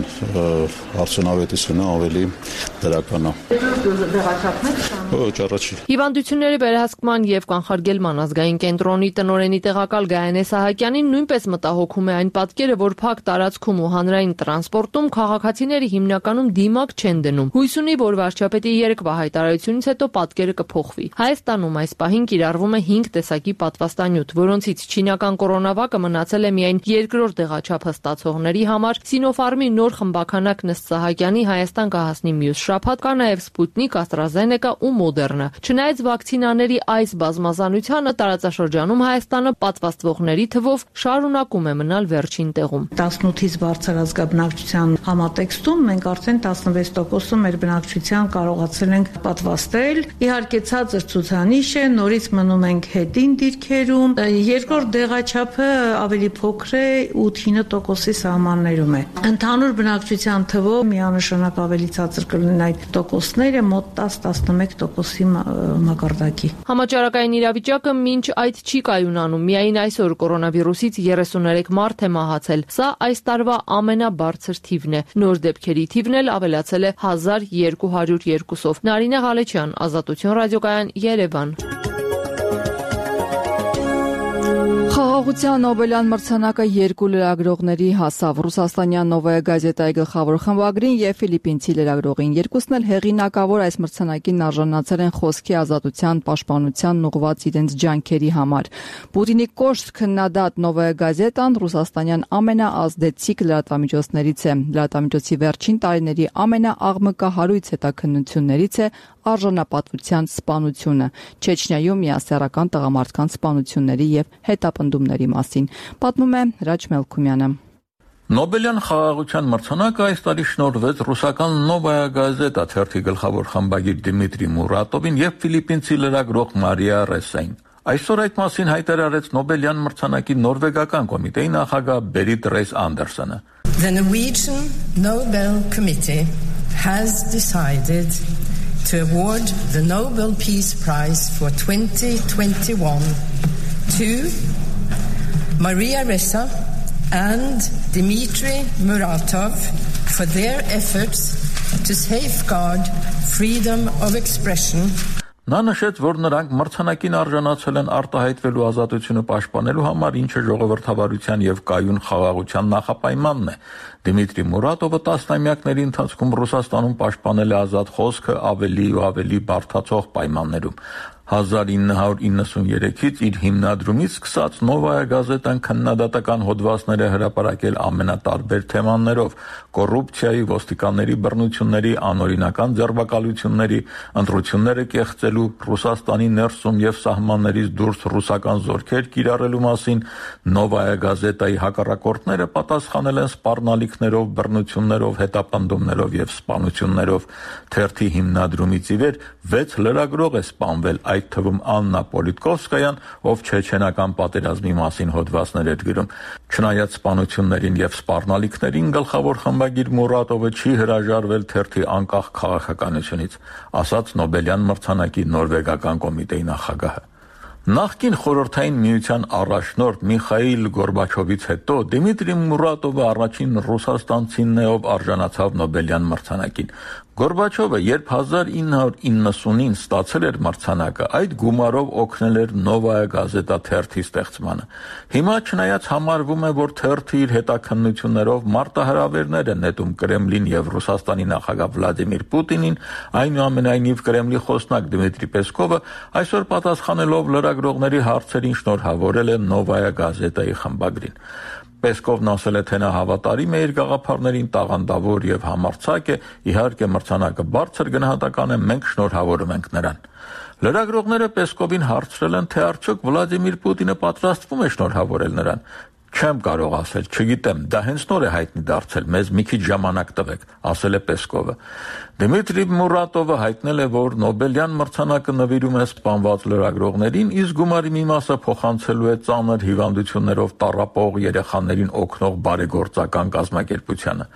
արդյունավետությունը ավելի դրական է։ Ոչ, առաջի։ Հիվանդությունների վերահսկման եւ կանխարգելման ազգային կենտրոնի տնօրենի տեղակալ Գայանե Սահակյանին նույնպես մտահոգում է այն պատկերը, որ փակ տարածքում ու հանրային տրանսպորտում քաղաքացիները հիմնականում դիմակ չեն դնում։ Հույս ունի, որ վարչապետի երեկվա հայտարարությունից հետո պատկերը կփոխվի։ Հայաստանում այս պահին կիրառվում է հինգ տեսակի պատվաստանյութ, որոնցից չինական կորոնավակը մնացել է միայն երկրորդ դեղաչափը ստացողների համար։ Sinopharm-ի նոր խմբականակ Նստ Սահակյանի Հայաստան կհասնի մյուս շաբաթ, կա նաև Sputnik, AstraZeneca ու Moderna։ Չնայած վակցինաների այս բազմազանությանը տարածաշրջանում Հայաստանը պատվաստվողների թվով շարունակում է մնալ վերջին տեղում։ տասնութից բարձր ազգաբնակչության համատեքստում մենք արդեն տասնվեց տոկոսում մեր բնակչության կարողացել ենք պատվաստել։ Իհարկե ցածր ցուցանիշ է, նորից մնում ենք հետին դիրքերում։ Երկրորդ դեղաչափը ավելի փոքր է, ութ-ինը տոկոսի սահմաններում է։ Ընդհանուր բնակչության թվով միանշանակ ավելի ցածր կլինեն այդ տոկոսները, մոտ տասը տասնմեկ տոկոսի մակարդակի։ Համաճարակային իրավիճակը մինչ այդ չի կայունանում։ Միայն այսօր կորոնավիրուսից երեսուներեք մարդ է մահացել։ Սա այս տարվա ամենաբարձր թիվն է։ Նոր դեպքերի թիվն էլ ավելացել է հազար երկու հարյուր երկուսով։ Նարինե Ղալեչյան, Ազատություն ռադիոկայան, Երևան։ Խաղաղության Նոբելյան մրցանակը երկու լրագրողների հասավ՝ ռուսաստանյան Նովայա գազետայի գլխավոր խմբագրին եւ ֆիլիպինցի լրագրողին։ Երկուսն էլ հեղինակավոր այս մրցանակին արժանացել են խոսքի ազատության պաշտպանությանն ուղղված իրենց ջանքերի համար։ Պուտինի կոշտ քննադատ Նովայա գազետան ռուսաստանյան ամենաազդեցիկ լրատվամիջոցներից է։ Լրատվամիջոցի վերջին տարիների ամենաաղմկահարույց հետաքննություններից է արժանապատվության սպանությունը, Չեչնիայում միասեռական տղամարդկանց սպանությունների եւ հետապնդումների մասին, պատմում է Հրաչ Մելքումյանը։ Նոբելյան խաղաղության մրցանակը այս տարի շնորհվեց ռուսական Նովայա գազետա թերթի գլխավոր խմբագիր Դիմիտրի Մուրատովին եւ ֆիլիպինցի լրագրող Մարիա Ռեսային։ Այսօր այդ մասին հայտարարեց Նոբելյան մրցանակի նորվեգական կոմիտեի նախագահ Բերիտ Ռեյս Անդերսոնը։ The Norwegian Nobel Committee has decided to award the Nobel Peace Prize for twenty twenty-one to Maria Ressa and Dmitry Muratov for their efforts to safeguard freedom of expression. Նա նշեց, որ նրանք մրցանակին արժանացել են արտահայտվելու ազատությունը պաշտպանելու համար, ինչը ժողովրդավարության եւ կայուն խաղաղության նախապայմանն է։ Դիմիտրի Մուրատովը տասնամյակների ընթացքում Ռուսաստանում պաշտպանել է ազատ խոսքը ավելի ու ավելի բարդացող պայմաններում։ հազար ինը հարյուր իննսուներեքից իր հիմնադրումից սկսած Նովայա գազետան քննադատական հոդվածներ է հրապարակել ամենատարբեր թեմաներով՝ կոռուպցիայի, ոստիկանների բռնությունների, անօրինական ձերբակալությունների, ընտրությունները կեղծելու, Ռուսաստանի ներսում եւ սահմաններից դուրս ռուսական զորքեր կիրառելու մասին Նովայա գազետայի հակառակորդները պատասխանել են սպառնալիքներով, բռնություններով, հետապնդումներով եւ սպանություններով։ Թերթի հիմնադրումից ի վեր վեց լրագրող է սպանվել, այդ թվում Աննա Պոլիտկովսկայան, ով չեչենական պատերազմի մասին հոդվածներ էր գրում։ Չնայած սպանություններին եւ սպառնալիքներին, գլխավոր խմբագիր Մուրատովը չի հրաժարվել թերթի անկախ քաղաքականությունից, ասաց Նոբելյան մրցանակի նորվեգական կոմիտեի նախագահը։ Նախկին խորհրդային միության առաջնորդ Միխայիլ Գորբաչովից հետո Դիմիտրի Մուրատովը առաջին ռուսաստանցին է, ով արժանացավ Նոբելյան մրցանակին։ Գորբաչովը, երբ հազար ինը հարյուր իննսունին ստացել էր մրցանակը, այդ գումարով օգնել էր Նովայա գազետա թերթի ստեղծմանը։ Հիմա չնայած համարվում է, որ թերթը իր հետաքննություններով մարտահրավերներ է նետում Կրեմլին եւ Ռուսաստանի նախագահ Վլադիմիր Պուտինին, այնուամենայնիվ Կրեմլի խոսնակ Դմիտրի Պեսկովը այսօր պատասխանելով լրագրողների հարցերին շնորհավորել է Նովայա գազետայի խմբագրին։ Պեսկովն ասել է, թե նա հավատարիմ է իր գաղափարներին, տաղանդավոր եւ համարձակ է, իհարկե մրցանակը բարձր գնահատական է, մենք շնորհավորում ենք նրան։ Լրագրողները Պեսկովին հարցրել են, թե արդյոք Վլադիմիր Պուտինը պատրաստվում է շնորհավորել նրան։ Չեմ կարող ասել, չգիտեմ, դա հենց նոր է հայտնի դարձել, մեզ մի քիչ ժամանակ տվեք, ասել է Պեսկովը։ Դմիտրի Մուրատովը հայտնել է, որ Նոբելյան մրցանակը նվիրում է սպանված լրագրողներին, իսկ գումարի մի մասը փոխանցելու է ծանր հիվանդություններով տառապող երեխաներին օգնող բարեգործական կազմակերպությանը։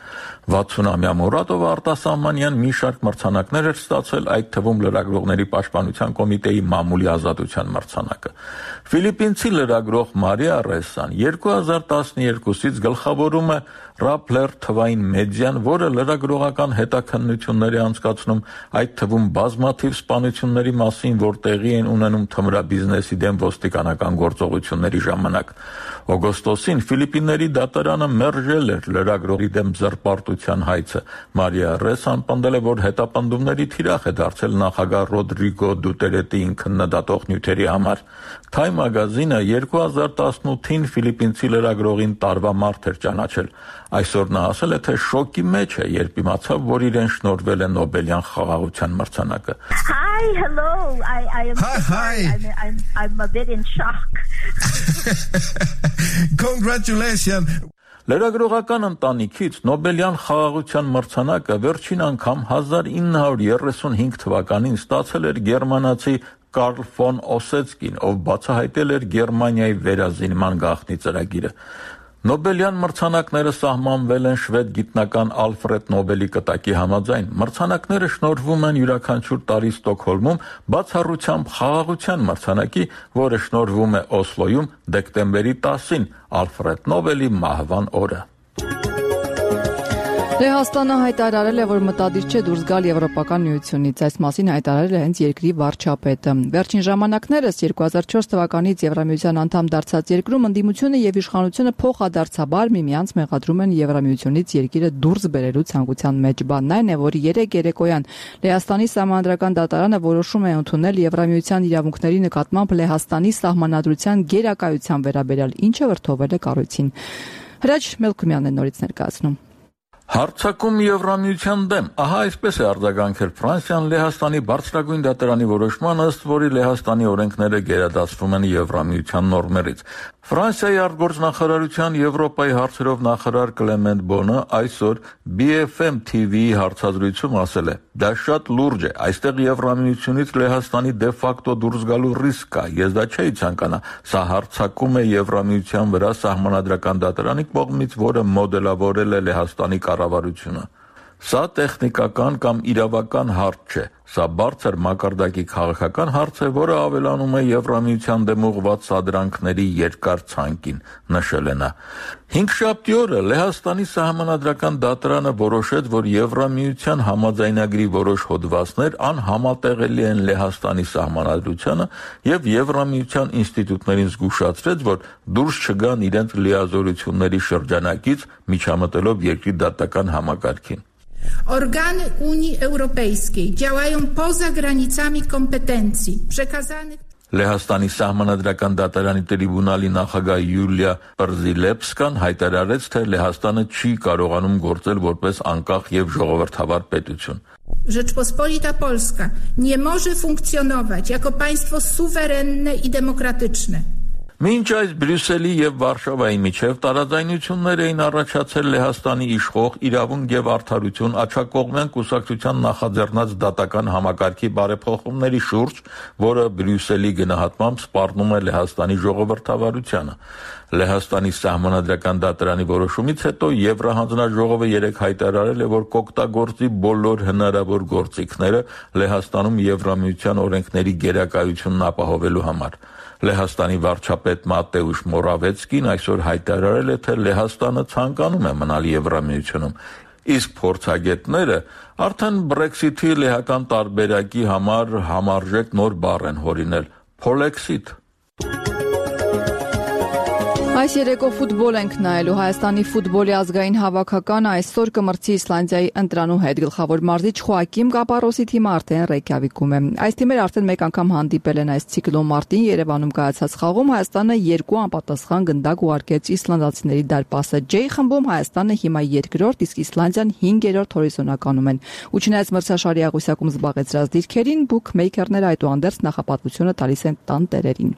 վաթսունամյա Մուրատովը արտասահմանյան մի շարք մրցանակներ էր ստացել, այդ թվում լրագրողների պաշտպանության կոմիտեի մամուլի ազատության մրցանակը։ Ֆիլիպինցի լրագրող Մարիա Ռեսան երկու հազար տասնյոթից գլխավորում է Rappler թվային մեդիան, որը լրագրողական հետաքննություններ է անցկացնում, այդ թվում բազմաթիվ սպանությունների մասին, որ տեղի են ունենում թմրաբիզնեսի դեմ ոստիկանական գործողությունների ժամանակ։ Օգոստոսին Ֆիլիպինների դատարանը մերժել էր լրագրողի դեմ զրպարտության հայցը։ Մարիա Ռեսան պնդել է, որ հետապնդումների թիրախ է դարձել նախագահ Ռոդրիգո Դուտերետիին քննադատող նյութերի համար։ Time մագազինը երկու հազար տասնութին ֆիլիպինցի լրագրողին տարվա մարդ էր ճանաչել։ Այսօր նա ասել է, թե շոկի մեջ է, երբ իմացավ, որ իրեն շնորհվել է Նոբելյան խաղաղության մրցանակը։ Hi, hello. I I am Hi, hi. I'm, I'm I'm a bit in shock. Congratulations. Լրագրողական ընտանիքից Նոբելյան խաղաղության մրցանակը վերջին անգամ հազար ինը հարյուր երեսունհինգ թվականին ստացել էր գերմանացի Կարլ ֆոն Օսեցկին, ով բացահայտել էր Գերմանիայի վերազինման գաղտնի ծրագիրը։ Նոբելյան մրցանակները սահմանվել են շվեդ գիտնական Ալֆրեդ Նոբելի կտակի համաձայն։ Մրցանակները շնորհվում են յուրաքանչյուր տարի Ստոկհոլմում բացառությամբ խաղաղության մրցանակի, որը շնորհվում է Օսլոյում դեկտեմբերի տասին, Ալֆրեդ Նոբելի մահվան օրը։ Լեհաստանը հայտարարել է, որ մտադիր չէ դուրս գալ Եվրոպական միությունից։ Այս մասին հայտարարել է հենց երկրի վարչապետը։ Վերջին ժամանակներս երկու հազար չորս թվականից Եվրամիության անդամ դարձած երկրում ընդդիմությունը եւ իշխանությունը փոխադարձաբար միմյանց մեղադրում են Եվրամիությունից երկիրը դուրս բերելու ցանկության մեջ։ Բանն այն է, որ երեք երեկոյան Լեհաստանի Սահմանադրական դատարանը որոշում է ընդունել Եվրամիության իրավունքների նկատմամբ Լեհաստանի սահմանադրության գերակայության վերաբերյալ, ինչը վրդովել է կառույցին։ Հրաչ Մելքումյանն է նորից ներկայացնում։ Հարցակում Եվրամիության դեմ, ահա այսպես է արձագանքել Ֆրանսիան Լեհաստանի բարձրագույն դատարանի որոշման, ըստ որի Լեհաստանի օրենքները գերադասվում են Եվրամիության նորմերից։ Ֆրանսիայի արտգործնախարարության Եվրոպայի հարցերով նախարար Կլեմենտ Բոնը այսօր B F M T V-ի հարցազրույցում ասել է. «Դա շատ լուրջ է, այստեղ Եվրամիությունից Լեհաստանի դե ֆակտո դուրս գալու ռիսկ կա, ես դա չէի ցանկանա, սա հարցակում է Եվրամիության վրա սահմանադրական դատարանի կողմից, որը մոդելավորել է Լեհաստանի կառավարությունը։ Սա տեխնիկական կամ իրավական հարց չէ, սա բարձր մակարդակի քաղաքական հարց է, որը ավելանում է Եվրամիության դեմ ուղղված սադրանքների երկար ցանկին», նշել է նա։ Հինգշաբթի օրը Լեհաստանի սահմանադրական դատարանը որոշեց, որ Եվրամիության համաձայնագրի որոշ հոդվածներ անհամատեղելի են Լեհաստանի սահմանադրությանը եւ Եվրամիության ինստիտուտներին զգուշացրեց, որ դուրս չգան իրենց լիազորությունների շրջանակից, միջամտելով երկրի դատական համակարգին։ Organy Unii Europejskiej działają poza granicami kompetencji przekazanych. Լեհաստանի սահմանադրական դատարանի տրիբունալի նախագահ Յուլիա Պրզիլեպսկան հայտարարեց, թե Լեհաստանը չի կարողանում գործել որպես անկախ եւ ժողովրդավար պետություն։ Rzeczpospolita Polska nie może funkcjonować jako państwo suwerenne i demokratyczne. Մինչ այս Բրյուսելի եւ Վարշավայի միջև տարաձայնություններ էին առաջացել Լեհաստանի իշխող իրավունք եւ արդարություն աջակողմյան կուսակցության նախաձեռնած դատական համակարգի բարեփոխումների շուրջ, որը Բրյուսելի գնահատմամբ սպառնում է Լեհաստանի ժողովրդավարությանը։ Լեհաստանի սահմանադրական դատարանի որոշումից հետո Եվրահանձնաժողովը երեկ հայտարարել է, որ կօգտագործի բոլոր հնարավոր գործիքները Լեհաստանում Եվրամիության օրենքների գերակայությունն ապահովելու համար։ Լեհաստանի վարչապետ Մատեուշ Մորավեցկին այսօր հայտարարել է, թե Լեհաստանը ցանկանում է մնալ Եվրամիությունում, իսկ փորձագետները արդեն Brexit-ի լեհական տարբերակի համար համարժեք նոր բառ են հորինել՝ Polexit։ Այս երեկո ֆուտբոլ ենք նայելու։ Հայաստանի ֆուտբոլի ազգային հավաքականը այսօր կմրցի Իսլանդիայի ընտրանու հետ։ Գլխավոր մարզիչ Խոակիմ Կապարոսի թիմը արդեն Ռեյկյավիկում է։ Այս թիմերը արդեն մեկ անգամ հանդիպել են այս ցիկլոն մարտին Երևանում կայացած խաղում։ Հայաստանը երկու անպատասխան գնդակ ուղարկեց իսլանդացիների դարպասը։ J խմբում Հայաստանը հիմա երկրորդ, իսկ Իսլանդիան հինգերորդ հորիզոնականում են։ Ու չնայած մրցաշարի աղյուսակում զբաղեցրած դիրքերին, բուքմեյքերները այդուհանդերձ նախապատվությունը տալիս են տան տերերին։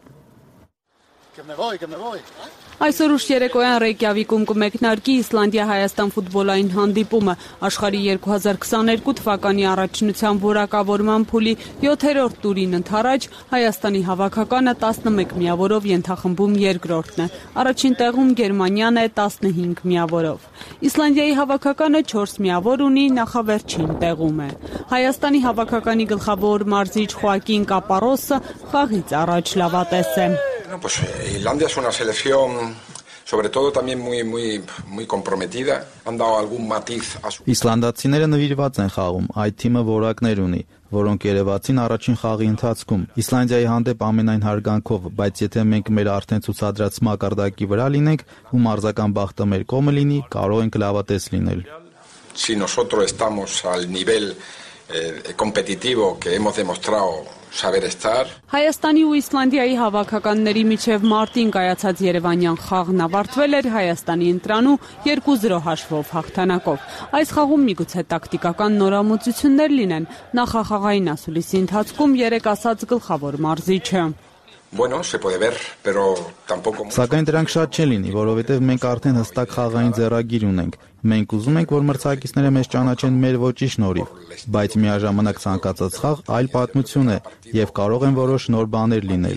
Այսօր ուշ երեկոյան Ռեյկյավիկում կմեկնարկի Իսլանդիա-Հայաստան ֆուտբոլային հանդիպումը։ Աշխարհի երկու հազար քսաներկու թվականի առաջնության որակավորման փուլի յոթերորդ տուրին ընթരാճ Հայաստանի հավաքականը տասնմեկ միավորով ենթախմբում երկրորդն է։ Առաջին տեղում Գերմանիան է տասնհինգ միավորով։ Իսլանդիայի հավաքականը չորս միավոր ունի, նախավերջին տեղում է։ Հայաստանի հավաքականի գլխավոր մարզիչ Խոակին Կապարոսը խաղից առաջ լավատես է։ Pues Islandia es una selección sobre todo también muy muy muy comprometida. Han dado algún matiz a su. Իսլանդացիները նվիրված են խաղում, այդ թիմը որակներ ունի, որոնք երևացին առաջին խաղի ընթացքում։ Իսլանդիայի հանդեպ ամենայն հարգանքով, բայց եթե մենք մեր արդեն ցուցադրած մակարդակի վրա լինենք ու մարզական բախտը մեր կողմը լինի, կարող ենք լավատես լինել։ Si nosotros estamos al nivel eh, competitivo que hemos demostrado saber estar. Հայաստանի ու Իսլանդիայի հավաքականների միջև մարտին կայացած Երևանյան խաղն ավարտվել էր Հայաստանի ընտրանու երկու զրո հաշվով հաղթանակով։ Այս խաղում միգուցե տակտիկական նորամուծություններ լինեն, նախախաղային ասուլիսի ընթացքում երեք ասաց գլխավոր մարզիչը։ Bueno, se puede ver, pero tampoco. Սակայն դրանք շատ չեն լինի, որովհետև մենք արդեն հստակ խաղային ձեռագիր ունենք։ Մենք ուզում ենք, որ մրցակիցները մեզ ճանաչեն մեր ոճի շնորհիվ, բայց միաժամանակ ցանկացած խաղ այլ պատմություն է եւ կարող են որոշ նոր բաներ լինել։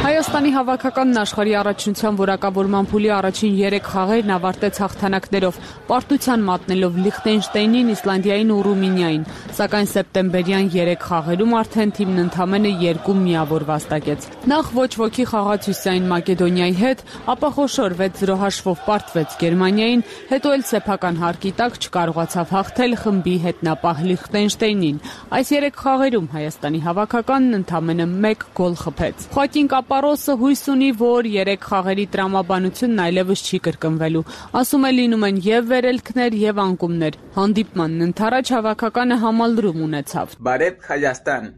Հայաստանի հավաքականն աշխարհի առաջնության որակավորման փուլի առաջին երեք խաղերն ավարտեց հաղթանակներով, պարտության մատնելով Լիխտենշտեյնին, Իսլանդիային ու Ռումինիային, սակայն սեպտեմբերյան երեք խաղերում արդեն թիմն ընդամենը երկու միավոր վաստակեց։ Նախ ոչ ոքի խաղաց Հյուսիսային Մակեդոնիայի հետ, ապա խոշոր վեց զրո հաշվով պարտվեց Գերմանիային, հետո էլ սեփական հարկի տակ չկարողացավ հաղթել խմբի հետնապահ Լիխտենշտեյնին։ Այս երեք խաղերում Հայաստանի հավաքականն ընդամենը մեկ գոլ խփեց։ Խոակին Կապարոսը հույս ունի, որ երեք խաղերի տրամաբանությունն այլևս չի կրկնվելու։ Ասում է լինում են եւ վերելքներ եւ անկումներ։ Հանդիպմանն ընթരാճ հավաքականը համալրում ունեցավ։ Բարև Հայաստան։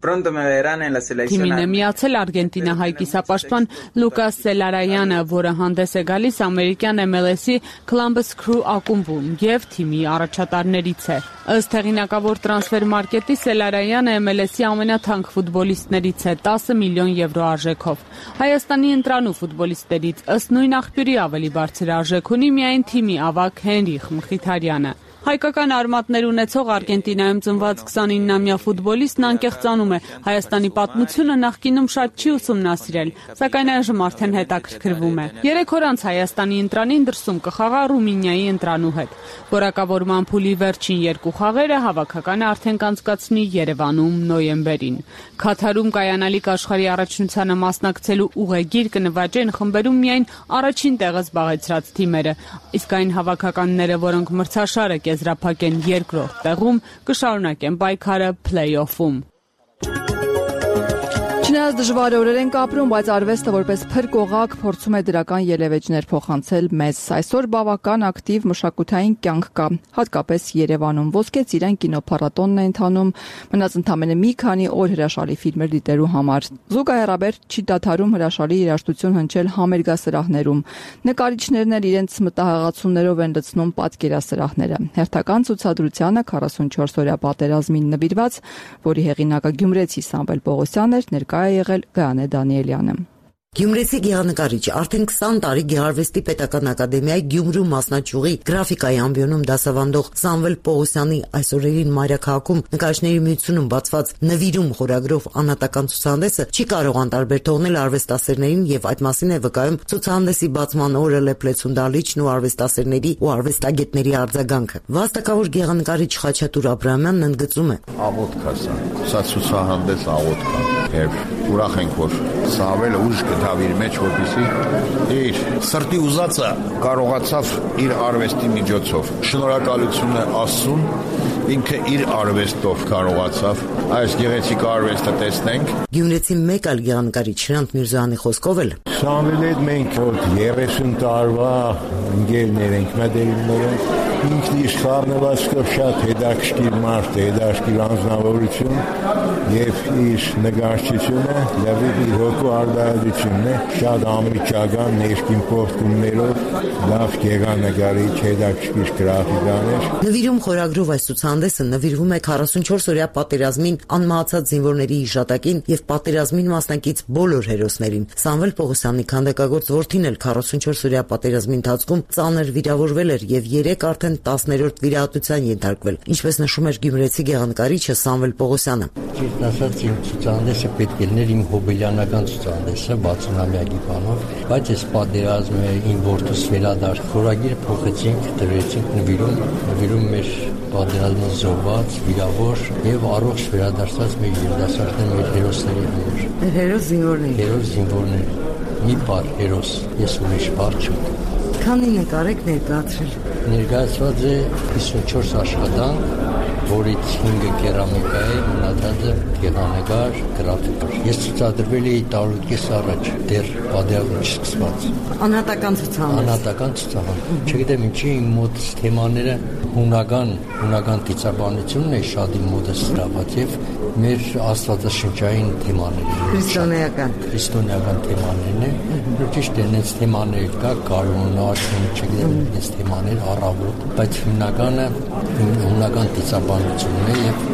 Թիմին է միացել Արգենտինահայ կիսապաշտպան Լուկաս Սելարայանը, որը հանդես է գալիս ամերիկյան էմ էլ էս-ի Columbus Crew ակումբում եւ թիմի առաջատարներից է։ Ըստ հեղինակավոր տրանսֆեր մարքետի Սելարայանը էմ էլ էս-ի ամենաթանկ ֆուտբոլիստներից է տասը միլիոն եվրո արժեքով։ Հայաստանի ընտրանու ֆուտբոլիստներից ըստ նույն աղբյուրի ավելի բարձր արժեք ունի միայն թիմի ավագ Հենրիխ Մխիթարյանը։ Հայկական արմատներ ունեցող Արգենտինայում ծնված քսանինամյա ֆուտբոլիստն անկեղծանում է։ Հայաստանի պատմությունը նախկինում շատ չի ուսումնասիրել, սակայն այժմ արդեն հետաքրքրվում է։ Երեք օր անց Հայաստանի ընտրանին դրսում կխաղա Ռումինիայի ընտրանու հետ։ Որակավորման փուլի վերջին երկու խաղերը հավաքականը արդեն կանցկացնի Երևանում նոյեմբերին։ Քաթարում կայանալիք աշխարհի առաջնությանը մասնակցելու ուղեգիր կնվաճեն խմբերում միայն առաջին տեղը զբաղեցրած թիմերը, իսկ այն հավաքականները, որոնք մրցաշարը եզրափակեն երկրորդ տեղում, կշարունակեն պայքարը փլեյ-օֆում։ Չնայած դժվար օրեր ենք ապրում, բայց արվեստը որպես փրկողակ փորձում է դրական ելևէջներ փոխանցել մեզ։ Այսօր բավական ակտիվ մշակութային կյանք կա, հատկապես Երևանում։ Ոսկե ծիրան կինոփառատոնն է ընթանում, մնաց ընդամենը մի քանի օր հրաշալի ֆիլմեր դիտելու համար։ Զուգահեռաբար չի դադարում հրաշալի երաժշտություն հնչել համերգասրահներում։ Նկարիչներն էլ իրենց մտահղացումներով են լցնում պատկերասրահները։ Հերթական ցուցադրությանը քառասունչորս-օրյա պատերազմին նվիրված, որի հեղինակը գյումրեցի Սամվել Պողոսյանն էր, ներկա է եղել Գայանե Դանիելյանը։ Գյումրեցի գեղանկարիչ արդեն քսան տարի Գեղարվեստի պետական ակադեմիայի Գյումրու մասնաճյուղի գրաֆիկայի ամբիոնում դասավանդող Սամվել Պողոսյանի այս օրերին Մայրաքաղաքում նկարիչների միությունում բացված նվիրում խորագրով անհատական ցուցահանդեսը չի կարող անտարբեր թողնել արվեստասերներին եւ այդ մասին է վկայում ցուցահանդեսի բացման օրը լեփլեցուն դալիճն ու արվեստասերների ու արվեստագետների արձագանքը։ Վաստակավոր գեղանկարիչ Խաչատուր Աբրահամյանն ընդգծում է. Աղոթք է սա, սա ցուցահանդես աղոթք է եւ ուրախ ենք, որ Սամվելը ուժ գտավ իր մեջ, որպեսզի իր սրտի ուզածը կարողացավ իր արվեստի միջոցով։ Շնորհակալություն է Աստծուն, ինքը իր արվեստով կարողացավ այս գեղեցիկ արվեստը տեսնենք։ Գյումրեցի մեկ այլ գեղանկարիչ Շրանտ Միրզոյանի խոսքով էլ Սամվելի հետ մենք որ երեսուն տարվա ընկերներ ենք, մտերիմներ ենք, ինքն իր խառնվածքով շատ հետաքրքիր մարդ է, հետաքրքիր անձնավորություն եւ իր նկարչությունը լավի իր հոգու արտահայտությունն է, շատ անմիջական ներքին փոխումներով լավ գեղանկարիչ, հետաքրքիր գրաֆիկաներ։ Նվիրում խորագրով այս ցուցահանդեսը նվիրվում է քառասունչորս-օրյա պատերազմին անմահացած զինվորների հիշատակին եւ պատերազմին մասնակից բոլոր հերոսներին։ Սամվել Պողոսյանի քանդակագործ որդին էլ քառասունչորս-օրյա պատերազմի ընթացքում ծանր վիրավորվել էր եւ երեք արդեն տասներորդ վիրահատության ենթարկվել, ինչպես նշում էր գյումրեցի գեղանկարիչը Սամվել Պողոսյանը։ Ճիշտ ասած, իմ ցուցահանդեսը պետք է լիներ իմ հոբելյանական ցուցահանդեսը վաթսունամյակի բանով, բայց այս պատերազմը իմ որդուս վերադարձ խորագիրը փոխեցինք, դրեցինք նվիրում, նվիրում մեր պատերազմի զոհված, վիրավոր եւ առողջ վերադարձած մեր երիտասարդներ, մեր հերոսների համար։ Մեր հերոս զինվորներ։ Հերոս զինվորներ։ Մի բառ հերոս, ես ուրիշ բառ չունեմ։ Քանի նկար եք ներկայացրել։ Ներկայացված է հիսունչորս աշխատանք, որից հինգը կերամիկա է, մնացածը գեղանկար, գրաֆիկա։ Ես ցուցադրվել էի տարուկես առաջ, դեռ պատերազմը չսկսված։ Անհատական ցուցահանդես։ Անհատական ցուցահանդես։ Չգիտեմ ինչի իմ մոտ թեմաները հունական, հունական դիցաբանությունն է շատ իմ մոտս սրված եւ մեր աստվածաշնչային թեմաները։ Քրիստոնեական։ Քրիստոնեական թեմաներն են։ Ճիշտ է, այս թեմաներ կա, կարոնար, չգիտեմ, այս թեմաներ առավոտ, բայց հիմնականը հունական դիցաբանությունն է եւ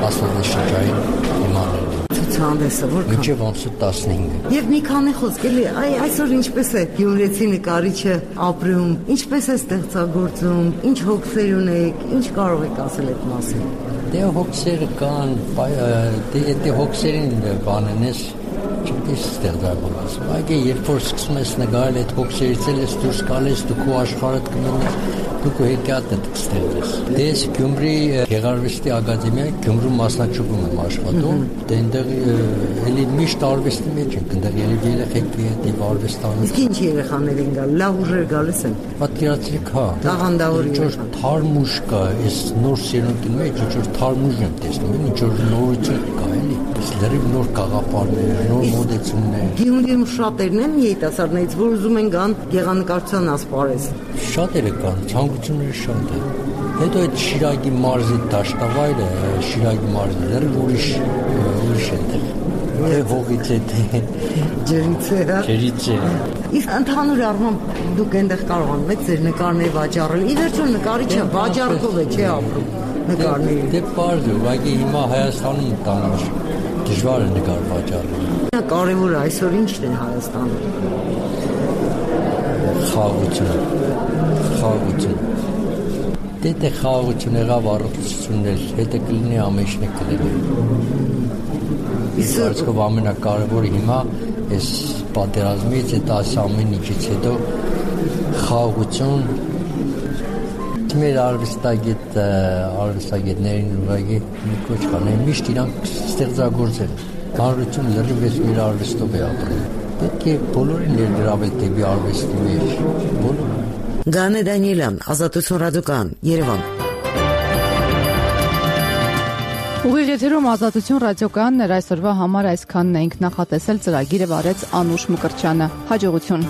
աստվածաշնչային թեմաներն են։ Ցուցահանդեսը որքան։ Մինչև ամսը տասնհինգը։ Եվ մի քանի խոսք էլի, այ այսօր ինչպես է գյումրեցի նկարիչը ապրում, ինչպես է ստեղծագործում, ինչ հոգսեր ունեք, ինչ կարող եք ասել այդ մասին։ Դե հոգսերը կան, դե դե հոգսերին բանենես չգիտես ստեղծագործես։ Բայց երբ որ սկսում ես նկարել այդ հոգսերից ես դուրս գալիս, դու քո աշխարհդ կմնաս, դու քո հետիաթդ կստեղծես։ Դες Գյումրի Գեղարվեստի ակադեմիայի Գյումրու մասնաճյուղում եմ աշխատում, դե այնտեղ էլի միշտ արվեստի մեջ ենք, այնտեղ երևի երեխեքի հետ արվեստանում։ Իսկ ինչ երեխաներ են գալ, լավ ուժեր գալիս են։ Պատկերացրեք, հա։ Տաղանդավոր ինչ որ թարմուշ կա, այս նոր սերունդի մեջ ինչ որ թարմուշ եմ տեսնում, ինչ որ նորություն կա, էլի։ Այս լրիվ նոր գաղափարներ, նոր մոդեցումներ։ Գյումրիում շատերն են երիտասարդներից, որ ուզում են գան գեղանկարչության ասպարեզ։ Շատերը կան, ցանկությունները շատ են։ Հետո այդ Շիրակի մարզի դաշտավայրը, Շիրակի մարզը լրիվ ուրիշ ուրիշ է։ Է հողից է թե ջրից է, հա։ Ջրից է։ Իսկ ընդհանուր առմամբ դուք այնտեղ կարողանում եք ձեր նկարներ վաճառել։ Ի վերջո նկարիչը վաճառքով է չէ ապրում նկարների։ Դե պարզ է, բայց հիմա Հայաստանում տանուշ դժվար է նկար վաճառել։ Կարևորը այսօր ի՞նչն է Հայաստանում։ Խաղաղությունը։ Խաղաղությունը։ Դե դե խաղաղություն եղավ առողջությունն էլ, հետը կլինի ամենը կլինի։ Իսկ ամենակարևորը հիմա այս պատերազմից, այդ ամեն ինչից հետո խաղաղություն մեր արվեստագետ արվեստագետներին ուղղակի մի կոչ կանեն միշտ իրանք ստեղծագործել հանրություն լրիվ էս մեր արվեստով է ապրում պետք է բոլորին ներգրավել դեպի արվեստի մեջ բոլորը Գանե Դանիելյան Ազատություն ռադիոկայան Երևան Ուղիղ եթերում Ազատություն ռադիոկայանն էր այսօրվա համար այսքանն էինք նախատեսել ծրագիրը վարեց Անուշ Մկրտչյանը հաջողություն